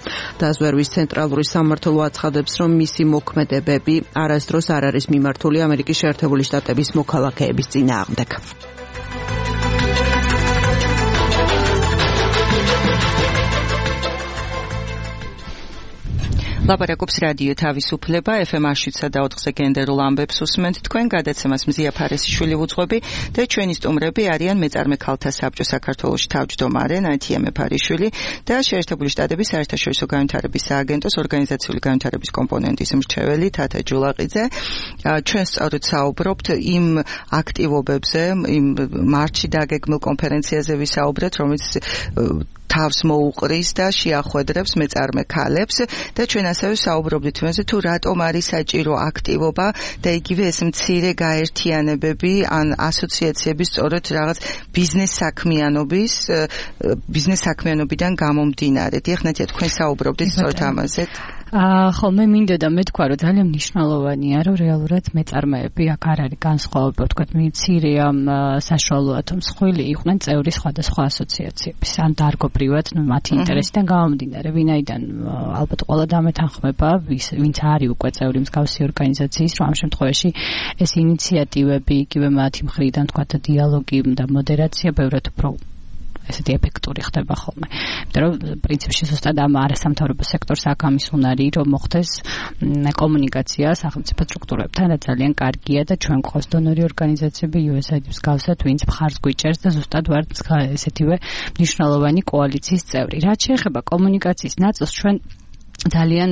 დაზვერვის ცენტრალური სამმართველო აცხადებს, რომ მისი მოქმედებები არასდროს არ არის მიმართული ამერიკის შეერთებული შტატების მოქალაქეების წინააღმდეგ. ლაპარაკობს რადიო თავისუფლება FM 107.4-ზე გენდერულ ამბებს უსმენთ თქვენ გადაცემას მზია ფარესიშვილი უძღვები და ჩვენი სტუმრები არიან მეწარმე ქალთა საბჭო საქართველოში თავმჯდომარე ნათია მეფარიშვილი და შეერთებული შტატების საერთაშორისო განვითარების სააგენტოს ორგანიზაციული განვითარების კომპონენტის მრჩეველი თათა ჯულაყიძე. ჩვენ სწორედ საუბრობთ იმ აქტივობებზე, იმ მარტში დაგეგმილ კონფერენციაზე ვისაუბრეთ, რომელიც თავს მოუყრის და შეახვედრებს მეწარმე ქალებს და ჩვენ ასევე საუბრობდით იმაზე თუ რატომ არის საჭირო აქტივობა და იგივე ეს მცირე გაერთიანებები ან ასოციაციების სწორედ რაღაც ბიზნეს საქმიანობიდან გამომდინარე. დიახ, ნათია, თქვენ საუბრობდით სწორედ ამაზე. ხო, მე მინდოდა მეთქვა, რომ ძალიან მნიშვნელოვანია, რომ რეალურად მეწარმეები აქ არ არის განსხვავება, თქვა მცირე ამ საშუალოა თუ მსხვილი იყვნენ წევრი სხვადასხვა ასოციაციების, ან დარგობრივად მათი ინტერესიდან გამომდინარე, ვინაიდან ალბათ ყველა დამეთანხმება, ვინც არის უკვე წევრი მსგავსი ორგანიზაციის, რომ ამ შემთხვევაში ეს ინიციატივები, იგივე მათი მხრიდან თქვა დიალოგი და მოდერაცია ბევრად უფრო ესეთი ეფექტური ხდება ხოლმე. იმიტომ რომ პრინციპში ზუსტად ამ არასამთავრობო სექტორს აქ ამის უნარი, რომ მოხდეს კომუნიკაცია სახელმწიფო სტრუქტურებთან და ძალიან კარგია და ჩვენ გვყავს დონორი ორგანიზაციები USAID-ის მსგავსად, ვინც მხარს გვიჭერს და ზუსტად ვართ ესეთივე მნიშვნელოვანი კოალიციის წევრი. რაც შეეხება კომუნიკაციის ნაწილს, ჩვენ ძალიან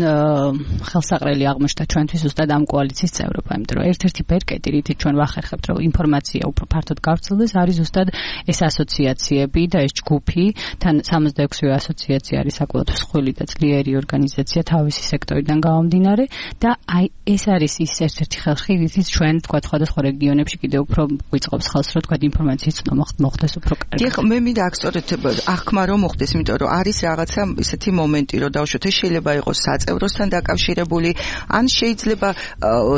ხელსაყრელი აღმოჩნდა ჩვენთვის ზუსტად ამ კოალიციის წევრობა, იმიტომ რომ ერთ-ერთი ბერკეტი, რითიც ჩვენ ვახერხებთ, რომ ინფორმაცია უფრო ფართოდ გავრცელდეს, არის ზუსტად ეს ასოციაციები და ეს ჯგუფი, თან 66-ვე ასოციაცია არის საკმაოდ მსხვილი და ძლიერი ორგანიზაცია თავისი სექტორიდან გამომდინარე და აი ეს არის ის ერთ-ერთი ხალხი, რითიც ჩვენ თქვა სხვადასხვა რეგიონებში კიდევ უფრო გვიწყობს ხელს, რომ თქვა ინფორმაციის ცნობა მოხდეს უფრო კარგად. დიახ, მე მინდა აქ სწორედ აღქმა რომ მოხდეს, იმიტომ რომ არის რაღაცა ისეთი მომენტი, რომ დავუშვათ, ეს შეიძლება იყოს საწევროსთან დაკავშირებული, ან შეიძლება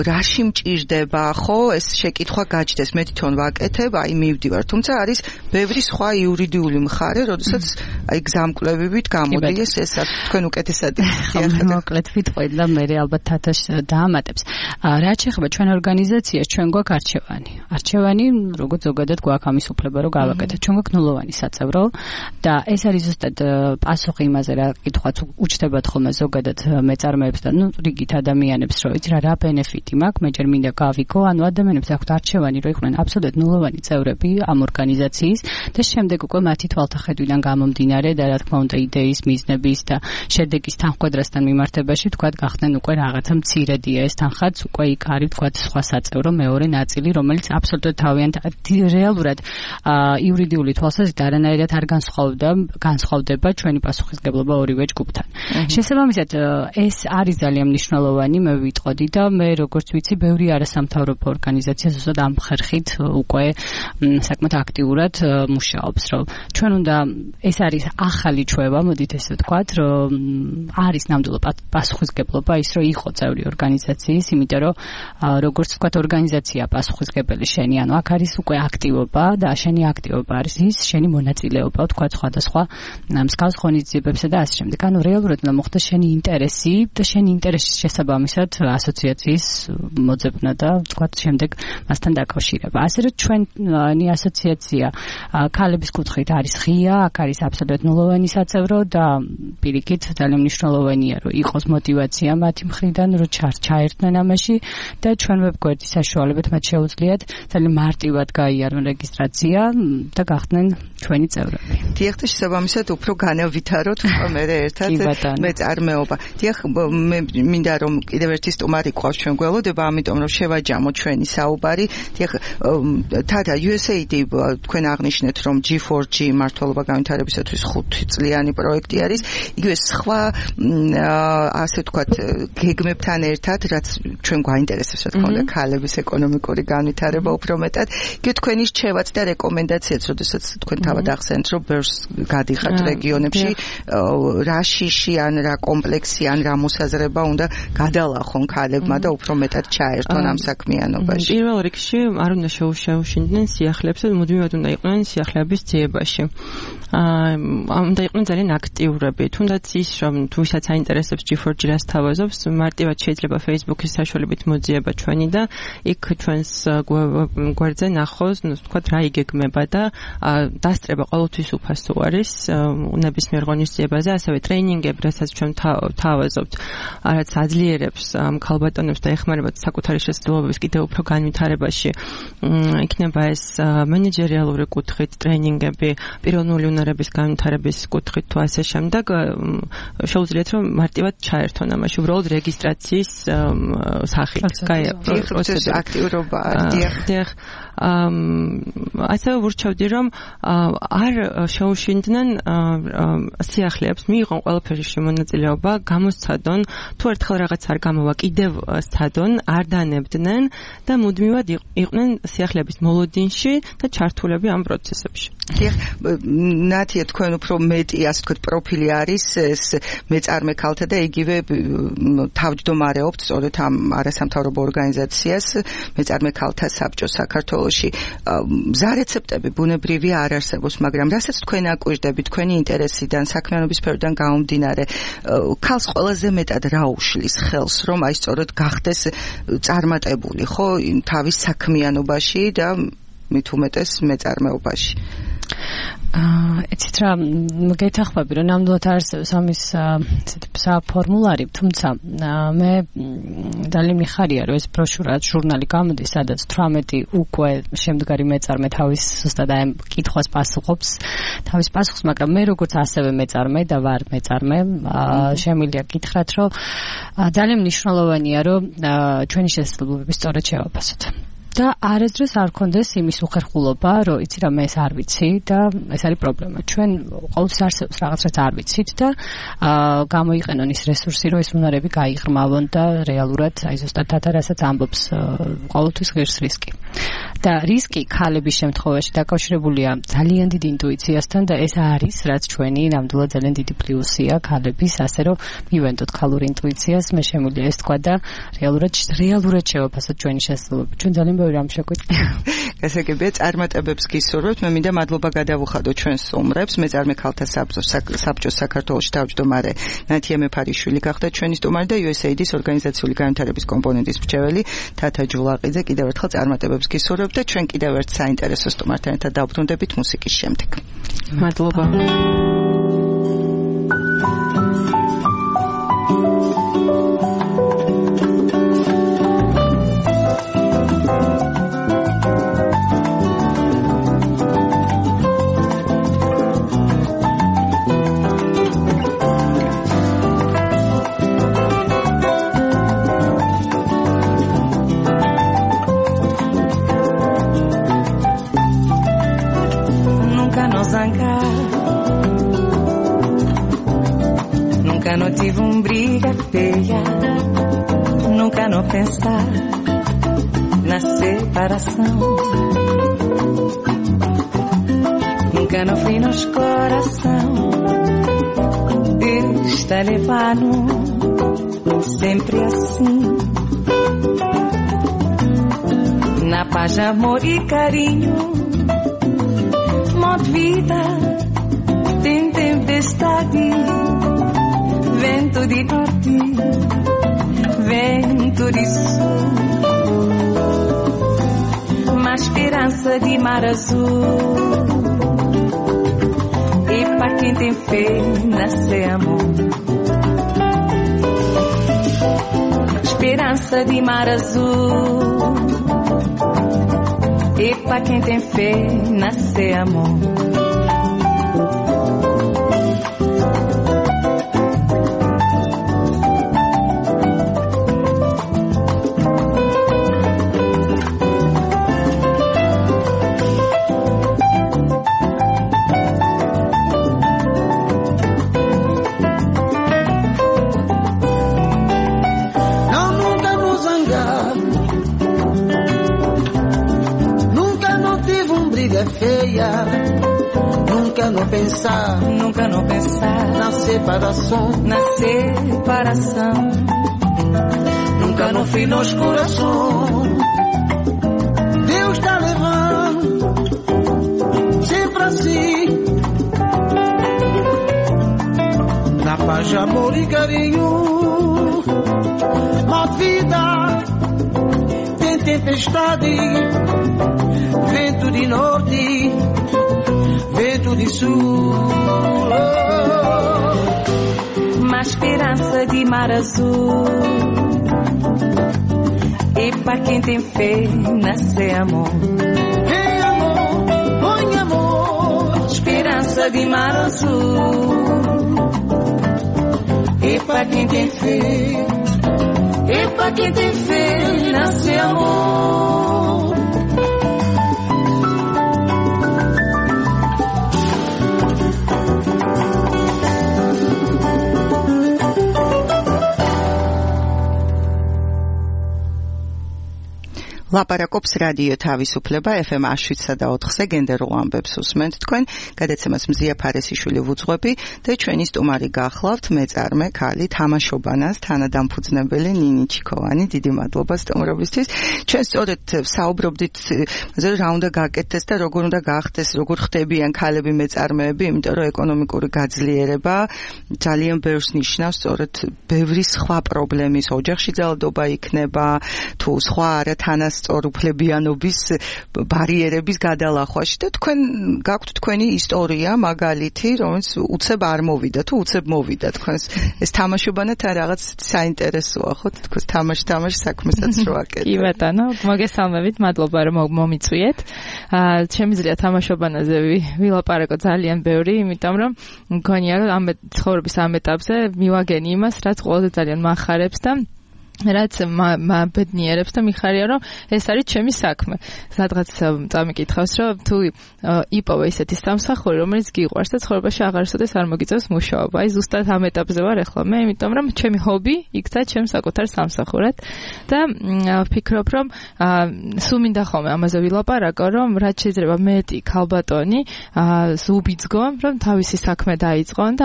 რაში მჭირდება, ხო, ეს შეკითხვა გაჩნდეს, მე თვითონ ვაკეთებ, აი მივდივარ, თუმცა არის ბევრი სხვა იურიდიული მხარე, როდესაც აი გზამკვლევებით გამოდის ეს თქვენ უკეთესად მოკლედ ვიტყვით და მე ალბათ თათაშ დაამატებს. რაც შეეხება ჩვენ ორგანიზაციას, ჩვენ გვაქვს არჩევანი. არჩევანი, როგორც ზოგადად გვაქვს ამის უფლება, რომ გავაკეთოთ. ჩვენ გვაქვს ნულოვანი საწევრო და ეს არის ზუსტად პასუხი იმაზე, რა კითხვაც უჩნდებათ ხოლმე ზოგადად მეწარმეებს და რიგით ადამიანებს, რომ იცი რა ბენეფიტი მაქვს, მე ჯერ მინდა გავიგო, ანუ ადამიანებს აქვთ არჩევანი, რომ იყვნენ აბსოლუტურად ნულოვანი წევრები ამ ორგანიზაციის და შემდეგ უკვე მათი თვალთახედვიდან გამომდინარე და რა თქმა უნდა იდეის, მიზნების და შედეგის თანხმდასთან მიმართებაში თქვათ გახდნენ უკვე რაღაცა მცირედია ეს თანხაც, უკვე იქ არის თქვათ სხვა საწევრო მეორე ნაწილი, რომელიც აბსოლუტურად თავიანთი რეალურად იურიდიული თვალსაზრისით არანაირად არ განსხვავდება ჩვენი პასუხისგებლობა ორივე ჯგუფთან. შესაბამისად, ეს არის ძალიან მნიშვნელოვანი, მე ვიტყოდი და მე როგორც ვიცი, ბევრი არასამთავრობო ორგანიზაცია ზუსტად ამ ხერხით უკვე საკმაოდ აქტიურად მუშაობს, რომ ჩვენ უნდა ეს არის ახალი ჩვევა, მოდით ესე ვთქვათ, რომ არის ნამდვილად პასუხისგებლობა ის, რომ იყო წევრი ორგანიზაციის, იმიტომ რომ როგორც ვთქვათ, ორგანიზაცია პასუხისგებელი შენი, ანუ აქ არის უკვე აქტივობა და შენი აქტივობა არის ის შენი მონაწილეობა, ვთქვათ, სხვადასხვა მსგავს ღონისძიებებსა და ასე შემდეგ. ანუ რეალურად უნდა მოხდეს შენი ინტერესი და შენი ინტერესის შესაბამისად ასოციაციის მოძებნა და ვთქვათ, შემდეგ მასთან დაკავშირება. ასე რომ ჩვენი ასოციაცია ქალების კუთხით არის ღია, აქ არის აბსოლუტურად ნულოვანი საწევრო და პირიქით ძალიან მნიშვნელოვანია, რომ იყოს мотиваცია მათი მხრიდან, რომ ჩაერთნენ ამაში და ჩვენ ვებგვერდის საშუალებით მათ შეუძლიათ ძალიან მარტივად გაიარონ რეგისტრაცია და გახდნენ ჩვენი წევრები. დიახ, და შესაბამისად უფრო განავითაროთ მე ერთად მეწარმეობა. დიახ, მე მინდა რომ კიდევ ერთი სტუმარი ყავს ჩვენ გველოდება, ამიტომ რომ შევაჯამოთ ჩვენი საუბარი. დიახ, თათა USAID თქვენ აღნიშნეთ რომ G4G მართლობა განვითარებისათვის 5 წლიანი პროექტი არის. იგივე სხვა ასე ვთქვათ გეგმებთან ერთად, რაც ჩვენ გვაინტერესებს, რა თქმა უნდა, ქალების ეკონომიკური განვითარება უფრო მეტად. იგივე თქვენი რჩევაც და რეკომენდაციაც, როდესაც თქვენ თავად ახსენეთ, რომ ბევრს გადიხართ რეგიონებში, რა შიში ან რა კომპლექსი ან რა მოსაზრება უნდა გადალახონ ქალებმა და უფრო მეტად ჩაერთონ ამ საქმიანობაში. პირველ რიგში არ უნდა შეუშინდნენ სიახლეებს, მუდმივად უნდა იყვნენ სიახლეების ძიებაში. უნდა იყვნენ ძალიან აქტიურები. თუნდაც ის, რომ თუ ვისაც აინტერესებს G4G რას თავაზობს, მარტივად შეიძლება Facebook-ის საშუალებით მოძიება ჩვენი და იქ ჩვენს გვერდზე ნახოს, ვთქვათ, რა იგეგმება და დასწრება ყოველთვის უფასო არის ნებისმიერ ღონისძიებაზე, ასევე ტრეინინგები, რასაც ჩვენ თავაზობთ, რაც აძლიერებს ქალბატონებს და ეხმარებათ საკუთარი შესაძლებლობების კიდევ უფრო განვითარებაში. იქნება ეს მენეჯერიალური კუთხით ტრეინინგები, პიროვნული უნარების განვითარების კუთხით თუ ასე შემდეგ, შეუძლიათ რომ მარტივად ჩაერთონ ამაში, უბრალოდ რეგისტრაციის სახით. პროცესი აქტიურობა. დიახ. ასევე ვურჩევდი რომ არ შეუშინდნენ სიახლეებს, მიიღონ ყველაფერში მონაწილეობა, გამოსცადონ, თუ ერთხელ რაღაც არ გამოვა, კიდევ სცადონ, არ დანებდნენ და მუდმივად იყვნენ სიახლეების მოლოდინში და ჩართულები ამ პროცესებში. დიახ, ნათია თქვენ უფრო მეტი, ასე ვთქვათ, პროფილი არის ეს მეწარმე ქალთა და იგივე თავმჯდომარეობთ სწორედ ამ არასამთავრობო ორგანიზაციას მეწარმე ქალთა საბჭოს საქართველოში. მზა რეცეპტები ბუნებრივია არ არსებობს, მაგრამ რასაც თქვენ აკვირდებით თქვენი ინტერესიდან, საქმიანობის სფეროდან გამომდინარე, ქალს ყველაზე მეტად რა უშლის ხელს, რომ აი სწორედ გახდეს წარმატებული, ხო, თავის საქმიანობაში და მით უმეტეს მეწარმეობაში. ეცით რა გეთახმები რომ ნამდვილად არსებობს ამის საფორმულარი, თუმცა მე ძალიან მიხარია რომ ეს ბროშურა ჟურნალი გამოდის, სადაც 18 უკვე შემდგარი მეწარმე თავის ზუსტად აი კითხვას პასუხობს, თავის პასუხს, მაგრამ მე როგორც ასევე მეწარმე და ვარ მეწარმე, შემიძლია გითხრათ რომ ძალიან მნიშვნელოვანია რომ ჩვენი შესაძლებლობები სწორად შევაფასოთ. და არასდროს არ გქონდეს იმის უხერხულობა, რომ იცი რა მე ეს არ ვიცი და ეს არის პრობლემა. ჩვენ ყოველთვის არსებობს რაღაც რაც არ ვიცით და გამოიყენონ ის რესურსი, რომ ეს უნარები გაიღრმავონ და რეალურად აი ზუსტად თათარასაც ამბობს ყოველთვის ღირს რისკი. და რისკი ქალების შემთხვევაში დაკავშირებულია ძალიან დიდი ინტუიციასთან და ეს არის რაც ჩვენი ნამდვილად ძალიან დიდი პლუსია ქალების, ასე რომ მივენდოთ ქალურ ინტუიციას, მე შემიძლია ეს თქვა და რეალურად შევაფასოთ ჩვენი შესაძლებლობები. ჩვენ ძალიან რამ შეგვიძლია. გასაგებია, წარმატებებს გისურვებთ. მე მინდა მადლობა გადავუხადო ჩვენს სტუმრებს, მეწარმე ქალთა საბჭოს საქართველოში თავმჯდომარე ნათია მეფარიშვილი გახდა ჩვენი სტუმარი და USAID-ის ორგანიზაციული განვითარების კომპონენტის მრჩეველი თათა ჯულაყიძე. კიდევ ერთხელ წარმატებებს გისურვებთ და ჩვენ კიდევ ერთ საინტერესო სტუმართან ერთად დავბრუნდებით მუსიკის შემდეგ. მადლობა. Nunca não tive briga feia, nunca não pensar na separação, nunca não fui nos coração, Deus está levando sempre assim, na paz, amor e carinho, modo vida tem tempestade, vento de norte, vento de sul, uma esperança de mar azul, e pra quem tem fé nascer amor, esperança de mar azul, e pra quem tem fé nascer amor. Nunca não pensar na separação, nunca não fui nos coração, Deus está levando sempre assim, na paz, amor e carinho, uma vida tem tempestade, vento de norte, vento de sul, uma esperança de mar azul, e pra quem tem fé nascer amor. Hey amor, põe amor, esperança de mar azul, e pra quem tem fé, nascer amor. ლაპარაკობს რადიო თავისუფლება FM 107.4-ზე გენდერულ ამბებს უსმენთ თქვენ, გადაცემას მზია ფარესიშვილი ვუძღვები და ჩვენი სტუმარი გახლავთ მეწარმე ქალი თამაშობანას თანადამფუძნებელი ნინი ჩიქოვანი. დიდი მადლობა სტუმრობისთვის. ჩვენ სწორედ საუბრობდით რა უნდა გაკეთდეს და როგორ უნდა გახდეს, როგორ ხდებიან ქალები მეწარმეები, იმიტომ რომ ეკონომიკური გაძლიერება ძალიან ბევრს ნიშნავს, სწორედ ბევრი სხვა პრობლემის ოჯახში ძალადობა იქნება, თუ სხვა არათანას სწორუფლებიანობის ბარიერების გადალახვაში და თქვენ გაქვთ თქვენი ისტორია, მაგალითი, რომელიც უცებ არ მოვიდა თუ უცებ მოვიდა თქვენს ეს თამაშობანა თან რაღაც საინტერესოა, ხო? თქვენს თამაში საქმესაც რო აკეთებთ. კი ბატონო, მოგესალმებით, მადლობა რომ მომიწვიეთ. შემიძლია თამაშობანაზე ვილაპარაკო ძალიან ბევრი, იმიტომ რომ მგონია რომ ამ ცხოვრების ამ ეტაპზე მივაგენი იმას, რაც ყველაზე ძალიან მახარებს და რაც ბედნიერებს და მიხარია რომ ეს არის ჩემი საქმე. სადღაც წამიკითხავს რომ თუ იპოვე ისეთი სამსახური რომელიც გიყვარს და ცხოვრებაში აღარსოდეს არ მოგიწევს მუშაობა. აი ზუსტად ამ ეტაპზე ვარ ახლა მე, იმიტომ რომ ჩემი ჰობი იქცა ჩემს საკუთარ სამსახურად და ვფიქრობ რომ სულ მინდა ხოლმე ამაზე ვილაპარაკო რომ რაც შეიძლება მეტი ქალბატონი უბიძგონ რომ თავისი საქმე დაიწყონ და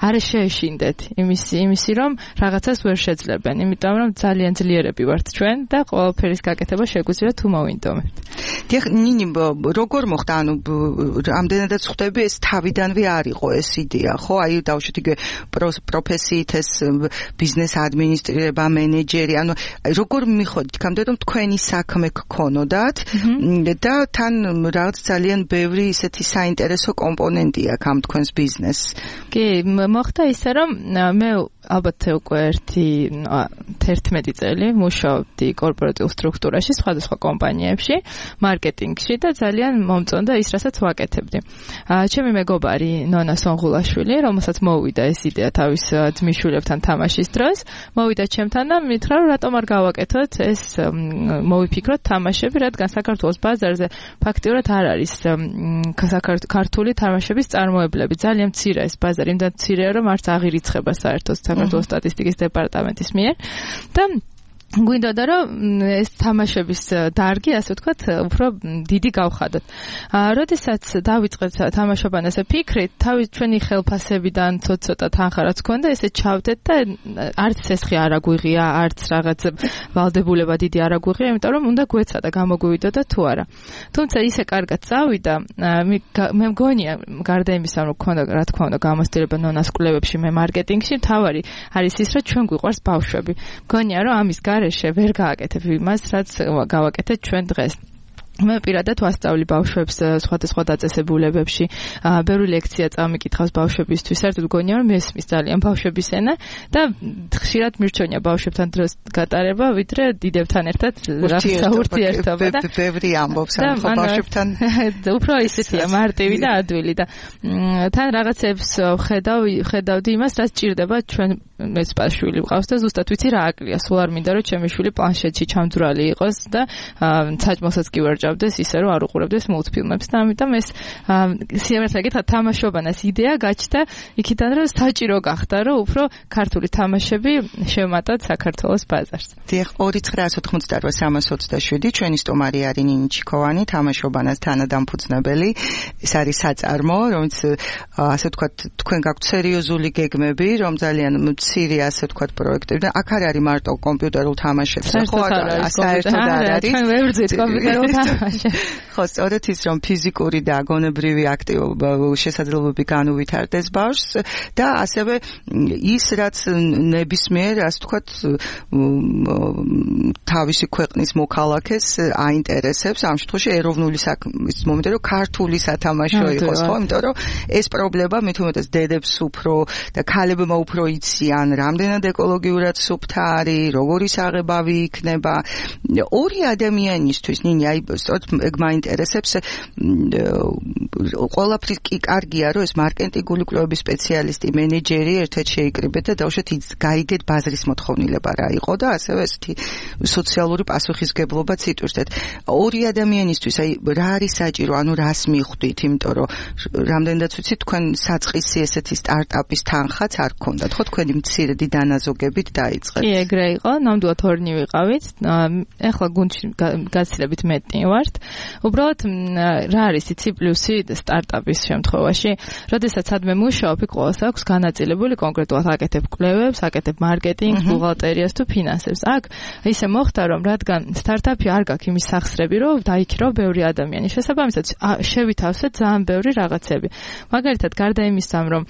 არ შეეშინდეთ იმისი რომ რაღაცას ვერ შეძლებენ. იმიტომ რომ ძალიან ძლიერები ვართ ჩვენ და ყველაფერის გაკეთება შეგვიძლია თუ მოვინდომებთ. დიახ, ნინი, როგორ მოხდა? ანუ ამდენადაც ხვდები ეს თავიდანვე არ იყო ეს იდეა, ხო? აი დავუშვით იგივე პროფესიით ეს ბიზნეს ადმინისტრირება, მენეჯერი, ანუ როგორ მიხოდით იქამდე რომ თქვენი საქმე გქონოდათ და თან რაღაც ძალიან ბევრი ისეთი საინტერესო კომპონენტი აქვს ამ თქვენს ბიზნესს. კი, მოხდა ისე რომ მე ალბათ უკვე 11 წელი მუშაობდი კორპორატიულ სტრუქტურაში, სხვადასხვა კომპანიებში, მარკეტინგში და ძალიან მომწონდა ის, რასაც ვაკეთებდი. ჩემი მეგობარი ნონა სონღულაშვილი, რომელსაც მოვიდა ეს იდეა თავის ძმისშვილებთან თამაშის დროს, მოვიდა ჩემთან და მითხრა, რომ რატომ არ გავაკეთოთ ეს, მოვიფიქროთ თამაშები, რადგან საქართველოს ბაზარზე ფაქტიურად არ არის ქართული თამაშების წარმოებლები. ძალიან მცირე ეს ბაზარი, იმდან მცირეა, რომ არც აღირიცხება საერთოდ საქართველოს სტატისტიკის დეპარტამენტის მიერ და გვინდოდა რომ ეს თამაშების დარგი, ასე ვთქვათ, უფრო დიდი გავხადოთ. როდესაც დავიწყეთ თამაშობანაზე ფიქრით, ჩვენი ხელფასებიდან ცოტა თანხარაც ქონდა, ესე ჩავდეთ და არც ცესხი არ აგვიღია, არც რაღაც ვალდებულება დიდი არ აგვიღია, იმიტომ რომ უნდა გვეცადა გამოგვივიდოდა თუ არა. თუმცა ისე კარგად წავიდა, მე მგონია გარდა იმისა, რომ ქონდა რა თქმა უნდა გამოცდილება ნონას კვლევებში, მე მარკეტინგში, თავარი არის ის, რომ ჩვენ გვიყვარს ბავშვები. მგონია რომ ამის გარეშე ვერ გააკეთებ იმას, რაც გავაკეთეთ ჩვენ დღეს. მე პირადად ვასწავლი ბავშვებს სხვადასხვა დაწესებულებებში, ბევრი ლექცია წამიკითხავს ბავშვებისთვის. საერთოდ მგონია რომ მესმის ძალიან ბავშვების ენა და ხშირად მირჩენია ბავშვებთან დროს გატარება, ვიდრე დიდებთან ერთად ურთიერთობა და ბევრი ამბობს ამ ბავშვებთან. უფრო ისეთია მარტივი და ადვილი და თან რაღაცებს ხედავდი იმას, რაც ჭირდება ჩვენ მეც შვილი ვყავს და ზუსტად ვიცი რა აკლია. სულ არ მინდა რომ ჩემი შვილი პლანშეტში ჩამძვრალი იყოს და საჭმელსაც კი ვერ ჭამდეს ისე რომ არ უყურებდეს მულტფილმებს და ამიტომ ეს სიმართლე გითხრათ თამაშობანას იდეა გაჩნდა იქიდან რომ საჭირო გახდა რომ უფრო ქართული თამაშები შევმატოთ საქართველოს ბაზარს. დიახ, 2988327 ჩვენი სტუმარი არის ნინი ჩიქოვანი, თამაშობანას თანადამფუძნებელი. ეს არის საწარმო, რომელიც ასე ვთქვათ, თქვენ გაქვთ სერიოზული გეგმები, რომ ძალიან მცირე ასე ვთქვათ პროექტები და აქ არ არის მარტო კომპიუტერულ თამაშებზე, ხო, საერთოდ არ არის. ჩვენ ვერ ვძით კომპიუტერულ ხო, სწორედ ის რომ ფიზიკური და გონებრივი აქტივობა შესაძლებლობები განუვითარდეს ბავშვს და ასევე ის რაც ნებისმიერ ასე ვთქვათ თავისი ქვეყნის მოქალაქეს აინტერესებს, ამ შემთხვევაში ეროვნული საქმის მომენტი რომ ქართული სათამაშო იყოს, ხო, იმიტომ რომ ეს პრობლემა მით უმეტეს დედებს უფრო და ქალებმა უფრო იციან, რამდენად ეკოლოგიურად სუფთა არის, როგორი საღებავი იქნება. ორი ადამიანისთვის, ნინი, აი ეგ მაინტერესებს, ყველაფრის კი კარგია, რომ ეს მარკეტინგული კვლევების სპეციალისტი, მენეჯერი ერთად შეიკრიბეთ და დავუშვათ გაიგეთ ბაზრის მოთხოვნილება რა იყო და ასევე ესეთი სოციალური პასუხისგებლობაც იტვირთეთ. ორი ადამიანისთვის, აი რა არის საჭირო, ანუ რას მიხვდით, იმიტომ რომ რამდენადაც ვიცი თქვენ საწყისი ესეთი სტარტაპის თანხაც არ გქონდათ, ხო, თქვენი მცირედი დანაზოგებით დაიწყეთ. კი, ეგრე იყო, ნამდვილად ორნი ვიყავით. ეხლა გუნდში გაცილებით მეტი ვართ. უბრალოდ რა არის იცი პლუსი სტარტაპის შემთხვევაში, როდესაც სადმე მუშაობ, იქ ყოველს აქვს განაწილებული კონკრეტულად აკეთებ კვლევებს, აკეთებ მარკეტინგს, ბუღალტერიას თუ ფინანსებს. აქ ისე მოხდა, რომ რადგან სტარტაპი არ გაქვს იმის სახსრები, რომ დაიქირო ბევრი ადამიანი. შესაბამისად, შევითავსეთ ძალიან ბევრი რაღაცები. მაგალითად, გარდა იმისა, რომ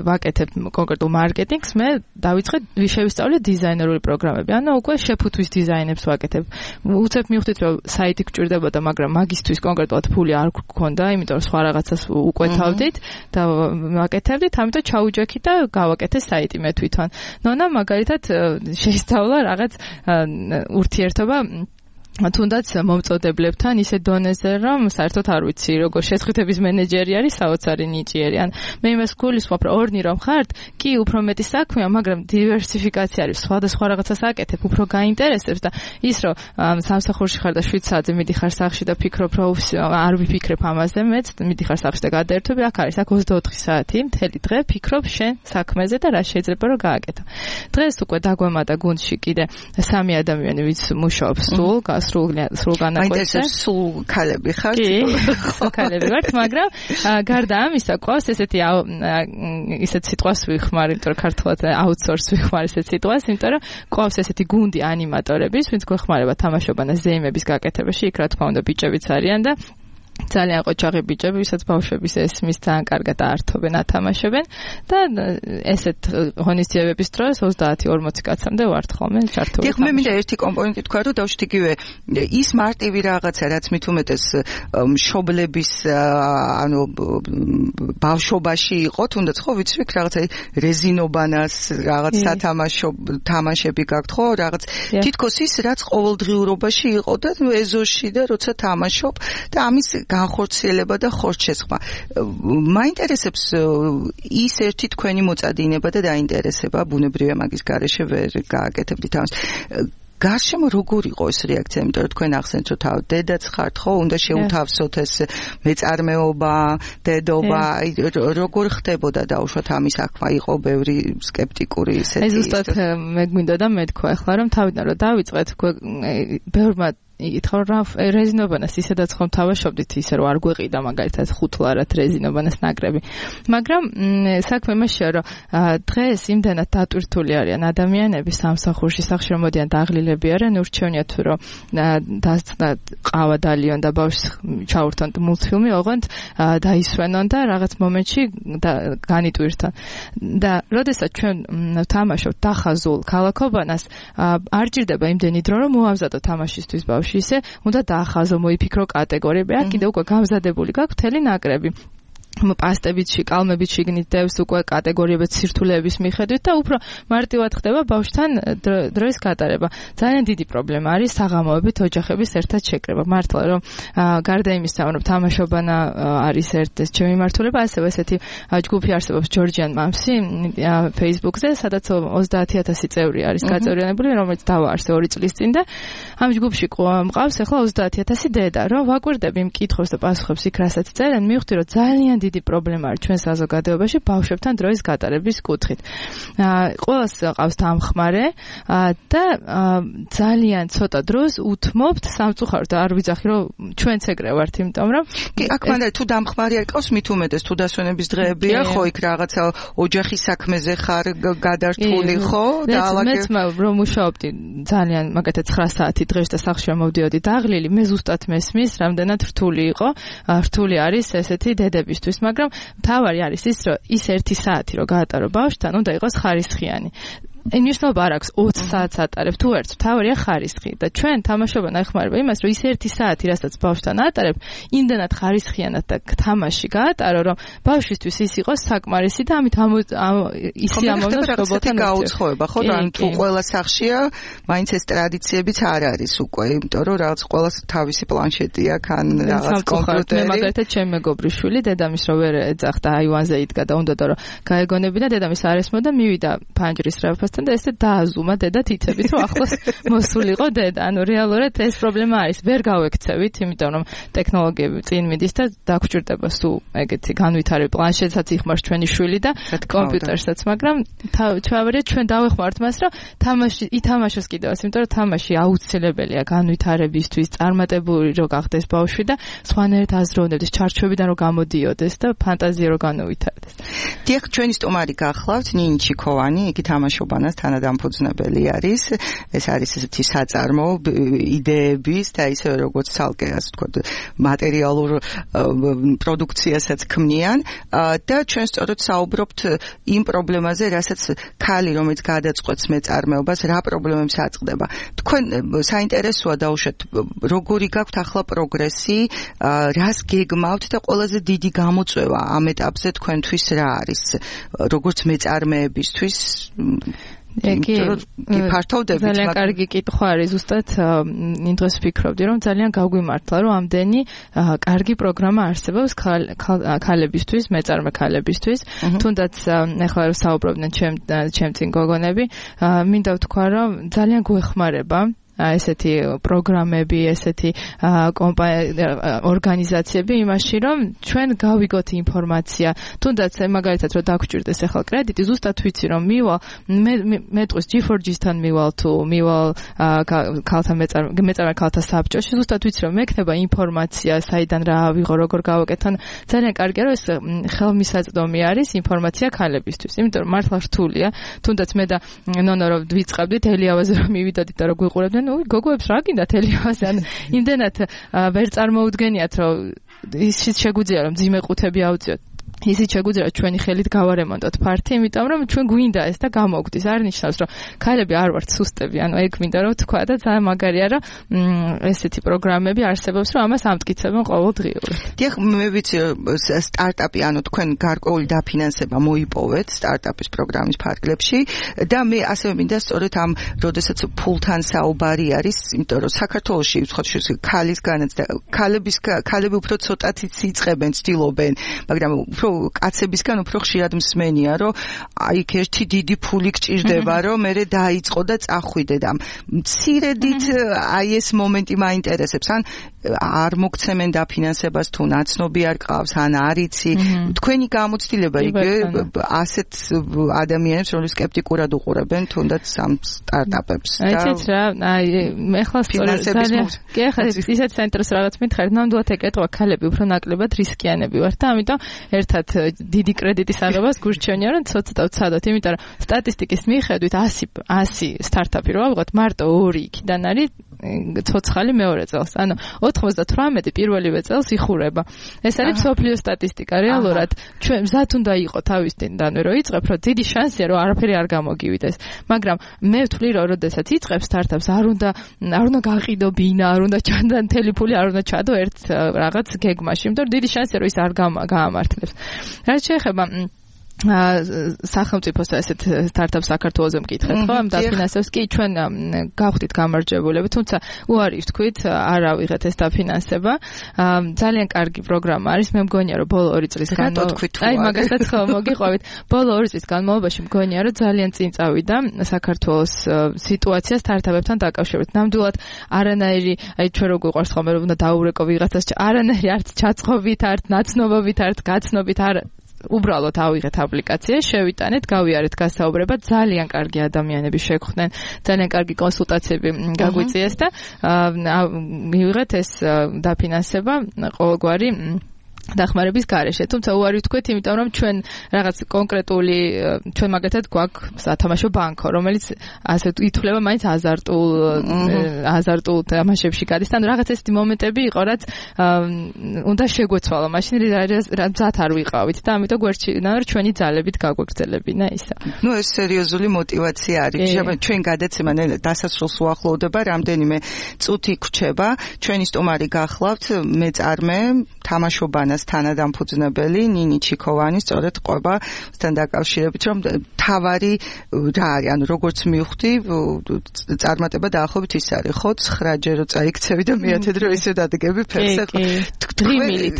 ვაკეთებ კონკრეტულ მარკეტინგს, მე დავიწყე შევისწავლე დიზაინერული პროგრამები. ანუ უკვე შეფუთვის დიზაინებს ვაკეთებ. უცებ მივხვდით რომ საიტი გჭირდებოდა, მაგრამ მაგისთვის კონკრეტულად ფული არ გქონდა, იმიტომ რომ სხვა რაღაცას უკვეთავდით და ვაკეთებდით, ამიტომ ჩაუჯექით და გავაკეთე საიტი მე თვითონ. ნონა მაგალითად შეისწავლა რაღაც ურთიერთობა თუნდაც მომწოდებლებთან ისე დონეზე რომ საერთოდ არ ვიცი როგორ შეხვედრების მენეჯერი არის საოცარი ნიჭიერი. ან მე იმას გულისხმობ რომ ორნი რომ ხართ, კი უფრო მეტი საქმეა, მაგრამ დივერსიფიკაცია არის, სხვადასხვა რაღაცას აკეთებ, უფრო გაინტერესებს და ის რომ სამსახურში ხარ და 7 საათზე მიდიხარ სახლში და ფიქრობ რომ არ ვიფიქრებ ამაზე, მეც მიდიხარ სახლში და გადაერთვები, აქ არის, აქ 24 საათი, მთელი დღე ფიქრობ შენ საქმეზე და რა შეიძლება რომ გააკეთო. დღეს უკვე დაგვემატა გუნდში კიდე 3 ადამიანი, ვინც მუშაობს სულ განაკვეთზე. სულ ქალები ხართ? კი, სულ ქალები ვართ, მაგრამ გარდა ამისა, ყავს ესეთი ისეთ სიტყვას ვიხმარ, იმიტომ რომ ქართულად აუთსორს ვიხმარ ესეთ სიტყვას, იმიტომ რომ ყავს ესეთი გუნდი ანიმატორების, ვინც გვეხმარება თამაშობანა ზეიმების გაკეთებაში, იქ რა თქმა უნდა ბიჭებიც არიან და ძალიან ყოჩაღი ბიჭები, ვისაც ბავშვების ესმის ძალიან კარგად ართობენ, ათამაშებენ და ესეთ ღონისძიებების დროს 30-40 კაცამდე ვართ ხოლმე ჩართული. დიახ, მე მინდა ერთი კომპონენტი თქვა, რომ დავშვით იგივე ის მარტივი რაღაცა, რაც მით უმეტეს მშობლების ანუ ბავშვობაში იყო, თუნდაც ხო ვიცი, რაღაცა რეზინობანას, რაღაც სათამაშო თამაშები გაქვთ, ხო, რაღაც თითქოს ის, რაც ყოველდღიურობაში იყო და ეზოში და როცა თამაშობ და ამის განხორციელება და ხორცშესხმა. მაინტერესებს ის ერთი თქვენი მოწადინება და დაინტერესება, ბუნებრივია მაგის გარეშე ვერ გააკეთებდით ამას. გარშემო როგორ იყო ეს რეაქცია, იმიტომ რომ თქვენ ახსენეთ რომ თავ დედაც ხართ, ხო, უნდა შეუთავსოთ ეს მეწარმეობა, დედობა, როგორ ხდებოდა დაუშვათ ამის აღქმა, იყო ბევრი სკეპტიკური ისეთი. ეს ზუსტად მე გვინდოდა მეთქვა ახლა რომ თავიდან რომ დავიწყეთ ბევრმა ითხრა რომ რეზინობანას ისედაც ხომ თავაშობდით ისე რომ არ გვეყიდა მაგალითად ხუთლარად რეზინობანას ნაკრები. მაგრამ საქმე იმაშია რომ დღეს იმდანაც დატვირთული არიან ადამიანები სამსახურში, სახლში რომ მოდიან დაღლილები არიან, ურჩევნია თუ რომ ყავა დალიონ და ბავშვს ჩაურთონ მულტფილმი, ოღონდ დაისვენონ და რაღაც მომენტში განიტვირთონ. და როდესაც ჩვენ თამაშობთ დახაზულ ქალაქობანას, არ ჭირდება იმდენი დრო რომ მოამზადო თამაშისთვის ბავშვი. ისე უნდა დაახაზო, მოიფიქრო კატეგორიები. აქ კიდე უკვე გამზადებული გაქვს მთელი ნაკრები. პასტებით, კალმებით შიგნით დევს უკვე კატეგორიებად სირთულეების მიხედვით და უფრო მარტივად ხდება ბავშვთან დროის გატარება. ძალიან დიდი პრობლემა არის საღამოებით ოჯახების ერთად შეკრება. მართლა რომ გარდა იმისა, რომ თამაშობანა არის ერთ-ეს ჩემი მართულება, ასევე ესეთი ჯგუფი არსებობს ჯორჯიან მამსი Facebook-ზე, სადაც 30,000 წევრი არის გაწევრიანებული, რომელიც დავაარსე 2 წლის წინ და ამ ჯგუფში მყავს ახლა 30,000 დედა, რომ ვაკვირდები მკითხავს და პასუხებს იქ რასაც წერენ, მივხვდი რომ ძალიან დიდი პრობლემა არის ჩვენ საზოგადოებაში ბავშვებთან დროის გატარების კუთხით. ყველას ყავს დამხმარე და ძალიან ცოტა დროს უთმობთ სამწუხაროდ არ ვიძახი რომ ჩვენც ეგრე ვართ, იმიტომ რომ კი აქ მანდ თუ დამხმარე არ ყავს მით უმეტეს თუ დასვენების დღეებია, ხო იქ რაღაცა ოჯახის საქმეზე ხარ გადართული, ხო? და მეც რომ მუშაობდი ძალიან მაგათაც 9 საათი დღეს და სახლში მოვდიოდი დაღლილი, მე ზუსტად მესმის, რამდენად რთული იყო, რთული არის ესეთი დედებისთვის. მაგრამ თავარი არის ის, რომ ის 1 საათი რომ გაატარო ბავშვთან, უნდა იყოს ხარისხიანი. ნიშნობა არ აქვს 20 საათს ატარებ თუ ერთს, თავარია ხარისხი და ჩვენ თამაშობანა ეხმარება იმას, რომ ის 1 საათი, რასაც ბავშვთან ატარებ, იმდანად ხარისხიანად და თამაში გაატარო, რომ ბავშვისთვის ის იყოს საკმარისი და ამით ისი ამოვნოს რობოტთან გაუცხოება, ხო, რა თუ ყველა სახლშია, მაინც ეს ტრადიციებიც არ არის უკვე, იმიტომ რომ რაღაც ყველას თავისი პლანშეტი აქვს, ან რაღაც კომპიუტერი. მე მაგალითად ჩემი მეგობრის შვილი დედამის რო ვერ ეძახდა აივანზე იდგა და უნდა რომ გაეგონებინა, დედამის არ ესმოდა, მივიდა ფანჯრის რაფას და ესე დააზუმა დედა თითებით, რომ ახლოს მოსულიყო დედა. ანუ რეალურად ეს პრობლემა არის. ვერ გავექცევით, იმიტომ რომ ტექნოლოგიები წინ მიდის და დაგჭირდება სულ ეგეთი განვითარებული პლანშეტსაც იხმარს ჩვენი შვილი და კომპიუტერსაც, მაგრამ თავარია ჩვენ დავეხმართ მას, რომ თამაში ითამაშოს კიდევაც, იმიტომ რომ თამაში აუცილებელია განვითარებისთვის, წარმატებული რო გახდეს ბავშვი და სხვანაირად აზროვნებდეს, ჩარჩოებიდან რო გამოდიოდეს და ფანტაზია რო განუვითარდეს. დიახ, ჩვენი სტუმარი გახლავთ ნინი ჩიქოვანი, იგი თამაშობა თამაშობანას თანადამფუძნებელი არის. ეს არის ესეთი საწარმო იდეების და ისე როგორც ცალკე ასე ვთქვათ მატერიალურ პროდუქციასაც ქმნიან და ჩვენ სწორედ საუბრობთ იმ პრობლემაზე, რასაც ქალი რომელიც გადაწყვეტს მეწარმეობას, რა პრობლემებს აწყდება. თქვენ საინტერესოა დაუშვათ როგორი გაქვთ ახლა პროგრესი, რას გეგმავთ და ყველაზე დიდი გამოწვევა ამ ეტაპზე თქვენთვის რა არის? როგორც მეწარმეებისთვის ძალიან კარგი კითხვა არის ზუსტად იმ დღეს ვფიქრობდი რომ ძალიან გაგვიმართლა რომ ამდენი კარგი პროგრამა არსებობს ქალებისთვის, მეწარმე ქალებისთვის, თუნდაც ახლა რომ საუბრობდნენ ჩემ წინ გოგონები, მინდა ვთქვა რომ ძალიან გვეხმარება ესეთი პროგრამები, ესეთი ორგანიზაციები იმაში, რომ ჩვენ გავიგოთ ინფორმაცია. თუნდაც მაგალითად რომ დაგვჭირდეს ახლა კრედიტი, ზუსტად ვიცი რომ მე დღეს G4G-თან მივალ ქალთა მეწარმე ქალთა საბჭოში, ზუსტად ვიცი რომ მექნება ინფორმაცია, საიდან რა ავიღო, როგორ გავაკეთო. ძალიან კარგია რომ ეს ხელმისაწვდომი არის ინფორმაცია ქალებისთვის. იმიტომ რომ მართლა რთულია, თუნდაც მე და ნონო რომ ვიწყებდით ელიავაზე რომ მივიდოდით და რომ გვიყურებდნენ გოგოებს რა გინდათ ელიავაზე ან იმდენად ვერ წარმოუდგენიათ რომ ისიც შეგვიძლია რომ ძიმე ყუთები ავწიოთ ისიც შეგვიძლია ჩვენი ხელით გავარემონტოთ ფართი, იმიტომ რომ ჩვენ გვინდა ეს და გამოგვდის. არ ნიშნავს რომ ქალები არ ვართ სუსტები, ანუ ეგ მინდა რომ თქვა და ძალიან მაგარია რომ ესეთი პროგრამები არსებობს, რომ ამას ამტკიცებენ ყოველდღიურად. დიახ, მე ვიცი სტარტაპი, ანუ თქვენ გარკვეული დაფინანსება მოიპოვეთ სტარტაპის პროგრამის ფარგლებში და მე ასევე მინდა სწორედ ამ როდესაც ფულთან საუბარი არის, იმიტომ რომ საქართველოში უცხოეთში ქალისგანაც და ქალები უფრო ცოტათიც იწყებენ, ცდილობენ, მაგრამ უფრო კაცებისგან უფრო ხშირად მსმენია, რომ აი ერთი დიდი ფული გჭირდება, რომ მე დაიწყო და წახვიდე და მცირედით აი ეს მომენტი მაინტერესებს, ან არ მოგცემენ დაფინანსებას თუ ნაცნობი არ ყავს, ან არ იცი. თქვენი გამოცდილება იგივე ასეთ ადამიანებს, რომლებიც სკეპტიკურად უყურებენ თუნდაც ამ სტარტაპებს. აიცით რა, აი მე ხლა ძალიან კი ხა ისეთ საინტერესო რაღაც მითხარით, ნამდვილად ეკეთება ქალები უფრო ნაკლებად რისკიანები ვართ და ამიტომ ერთად დიდი კრედიტის აღებას გურჩევნია რომ ცოტა ვცადოთ, იმიტომ რომ სტატისტიკის მიხედვით 100 სტარტაპი რო ავიღოთ, მარტო 2 იქიდან არის ცოცხალი მეორე წელს. ანუ 98 პირველივე წელს იხურება. ეს არის მსოფლიო სტატისტიკა. რეალურად ჩვენ მზად უნდა იყოს თავის წინდანვე რომ იწყებ, რომ დიდი შანსია რომ არაფერი არ გამოგივიდეს. მაგრამ მე ვთვლი რომ როდესაც იწყებ სტარტაპს, არ უნდა გაყიდო ბინა, არ უნდა ჩანდო მთელი ფული, არ უნდა ჩადო ერთ რაღაც გეგმაში, იმიტომ რომ დიდი შანსია რომ ის არ გაამართლებს. რაც შეეხება სახელმწიფოს ესეთ სტარტაპ საქართველოზე მკითხეთ, ხო? ამ დაფინანსებას კი ჩვენ გავხდით გამარჯვებულები, თუმცა უარი ვთქვით, არ ავიღეთ ეს დაფინანსება. ძალიან კარგი პროგრამა არის, მე მგონია რომ ბოლო 2 წლის განმავლობაში, აი მაგასაც ხო მოგიყვებით, ბოლო 2 წლის განმავლობაში მგონია რომ ძალიან წინ წავიდა საქართველოს სიტუაცია სტარტაპებთან დაკავშირებით. ნამდვილად არანაირი, აი ჩვენ რო გვიყვარს ხოლმე რომ უნდა დაურეკო ვიღაცას, არანაირი არც ჩაწყობით, არც ნაცნობობით, არც გაცნობით არ უბრალოდ ავიღეთ აპლიკაცია, შევიტანეთ, გავიარეთ გასაუბრება, ძალიან კარგი ადამიანები შეგვხვდნენ, ძალიან კარგი კონსულტაციები გაგვიწიეს და მივიღეთ ეს დაფინანსება ყოველგვარი დახმარების გარეშე. თუმცა უარი ვთქვით, იმიტომ რომ ჩვენ რაღაც კონკრეტული ჩვენ მაგათად გვაქვს სათამაშო ბანკო, რომელიც ასე ითვლება მაინც აზარტულ თამაშებში გადის. ანუ რაღაც ესეთი მომენტები იყო, რაც უნდა შეგვეცვალა. მაშინ რა მზად არ ვიყავით და ამიტომ გვერდჩინა რომ ჩვენი ძალებით გაგვეგრძელებინა ისა. ნუ ეს სერიოზული мотиваცია არის. ჩვენ გადაცემა დასასრულს უახლოვდება, რამდენიმე წუთი გვჩება. ჩვენი სტუმარი გახლავთ მეწარმე თამაშობანას თანადამფუძნებელი ნინი ჩიქოვანი, სწორედ ყვებასთან დაკავშირებით, რომ თავარი რა არის, ანუ როგორც მივხვდი, წარმატება დაახლოებით ის არის, ხო, 9 ჯერო წაიქცევი და მე-10 დრო ისე დადგები ფერს.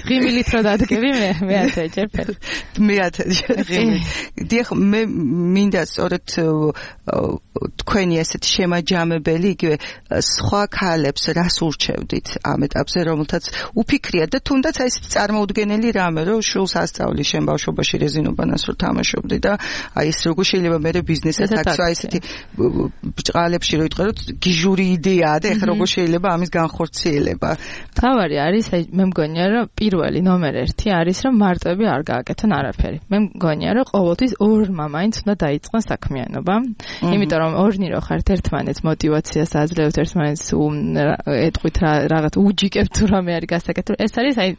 ღიმილით რო დადგები მე-10 ჯერ ფერს. მე-10 ჯერ ღიმილით. დიახ, მე მინდა სწორედ თქვენი ესეთ შემაჯამებელი, იგივე სხვა ქალებს რას ურჩევდით ამ ეტაპზე, რომელთაც უფიქრია და თუნდაც რაც აი ეს წარმოუდგენელი რამე, რომ შულს ასწავლი შენ ბავშვობაში რეზინობანას რო თამაშობდი და აი ეს როგორ შეიძლება მე ბიზნესად აქცვა ესეთი ბჭყალებში რო იტყვე, რომ გიჟური იდეაა და ეხლა როგორ შეიძლება ამის განხორციელება. თავარი არის, აი მე მგონია, რომ პირველი ნომერ 1 არის, რომ მარტოები არ გააკეთონ არაფერი. მე მგონია, რომ ყოველთვის ორმა მაინც უნდა დაიწყოს საქმიანობა, იმიტომ რომ ორნი რო ხართ ერთმანეთს мотивაციას აძლევთ ერთმანეთს ეტყვით რაღაც უჯიკებთ თუ რამე არის გასაკეთებელი. ეს არის აი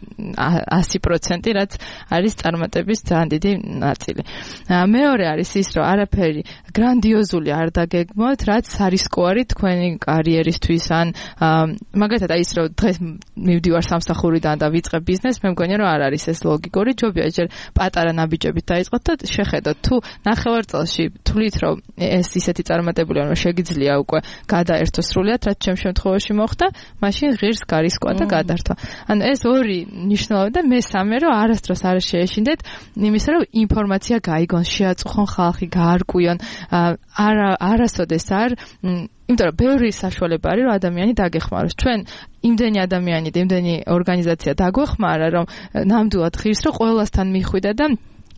100%, რაც არის წარმატების ძალიან დიდი ნაწილი. მეორე არის ის, რომ არაფერი გრანდიოზული არ დაგეგმოთ, რაც არისკოარი თქვენი კარიერისთვის ან მაგალითად აი ის რომ დღეს მივდივარ სამსახურიდან და ვიწყებ ბიზნესს, მე მგონია რომ არ არის ეს ლოგიკური, ჯობია ჯერ პატარა ნაბიჯებით დაიწყოთ და შეხედოთ თუ ნახევარწელში თვლით რომ ეს ისეთი წარმატებულია რომ შეგიძლია უკვე გადაერთო სრულიად, რაც ჩემ შემთხვევაში მოხდა, მაშინ ღირს გარისკვა და გადართვა. ანუ ეს ორი ნიშნულობა და მესამე რომ არასდროს არ შეეშინდეთ იმისა რომ ინფორმაცია გაიგონ, შეაწუხონ ხალხი, გაარკვიონ, არასოდეს არ იმიტომ რომ ბევრი საშუალება არის რომ ადამიანი დაგეხმაროს. ჩვენ იმდენი ადამიანი და იმდენი ორგანიზაცია დაგვეხმარა რომ ნამდვილად ღირს რომ ყველასთან მიხვიდა და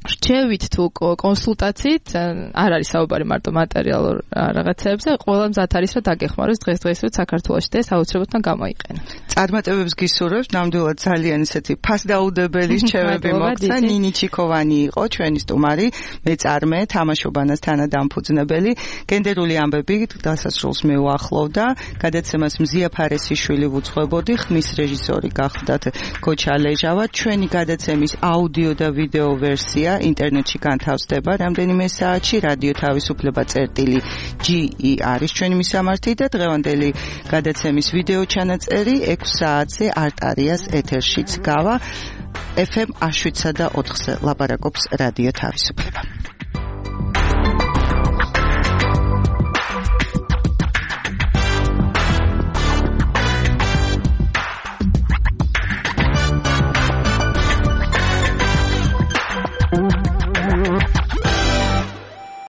რჩევით თუ კონსულტაციით არ არის საუბარი მარტო მატერიალურ რაღაცებზე, ყველა მზად არის რომ დაგეხმაროს დღესდღეობით საქართველოში და ეს აუცილებლად გამოიყენა. წარმატებებს გისურვებთ, ნამდვილად ძალიან ისეთი ფასდაუდებელი რჩევები მოგცა. ნინი ჩიქოვანი იყო ჩვენი სტუმარი, მეწარმე, თამაშობანას თანადამფუძნებელი. გენდერული ამბები დასასრულს მეუახლოვდა. გადაცემას მზია ფარესიშვილი ვუძღვებოდი, ხმის რეჟისორი გახდათ გოჩა ლეჟავა. ჩვენი გადაცემის აუდიო და ვიდეო ვერსია ინტერნეტში განთავსდება რამდენიმე საათში. რადიო თავისუფლება წერტილი.ge არის ჩვენი მისამართი და დღევანდელი გადაცემის ვიდეო ჩანაწერი 6 საათზე არტარიას ეთერშიც გავა. FM 7 და 4-ზე ლაპარაკობს რადიო თავისუფლება.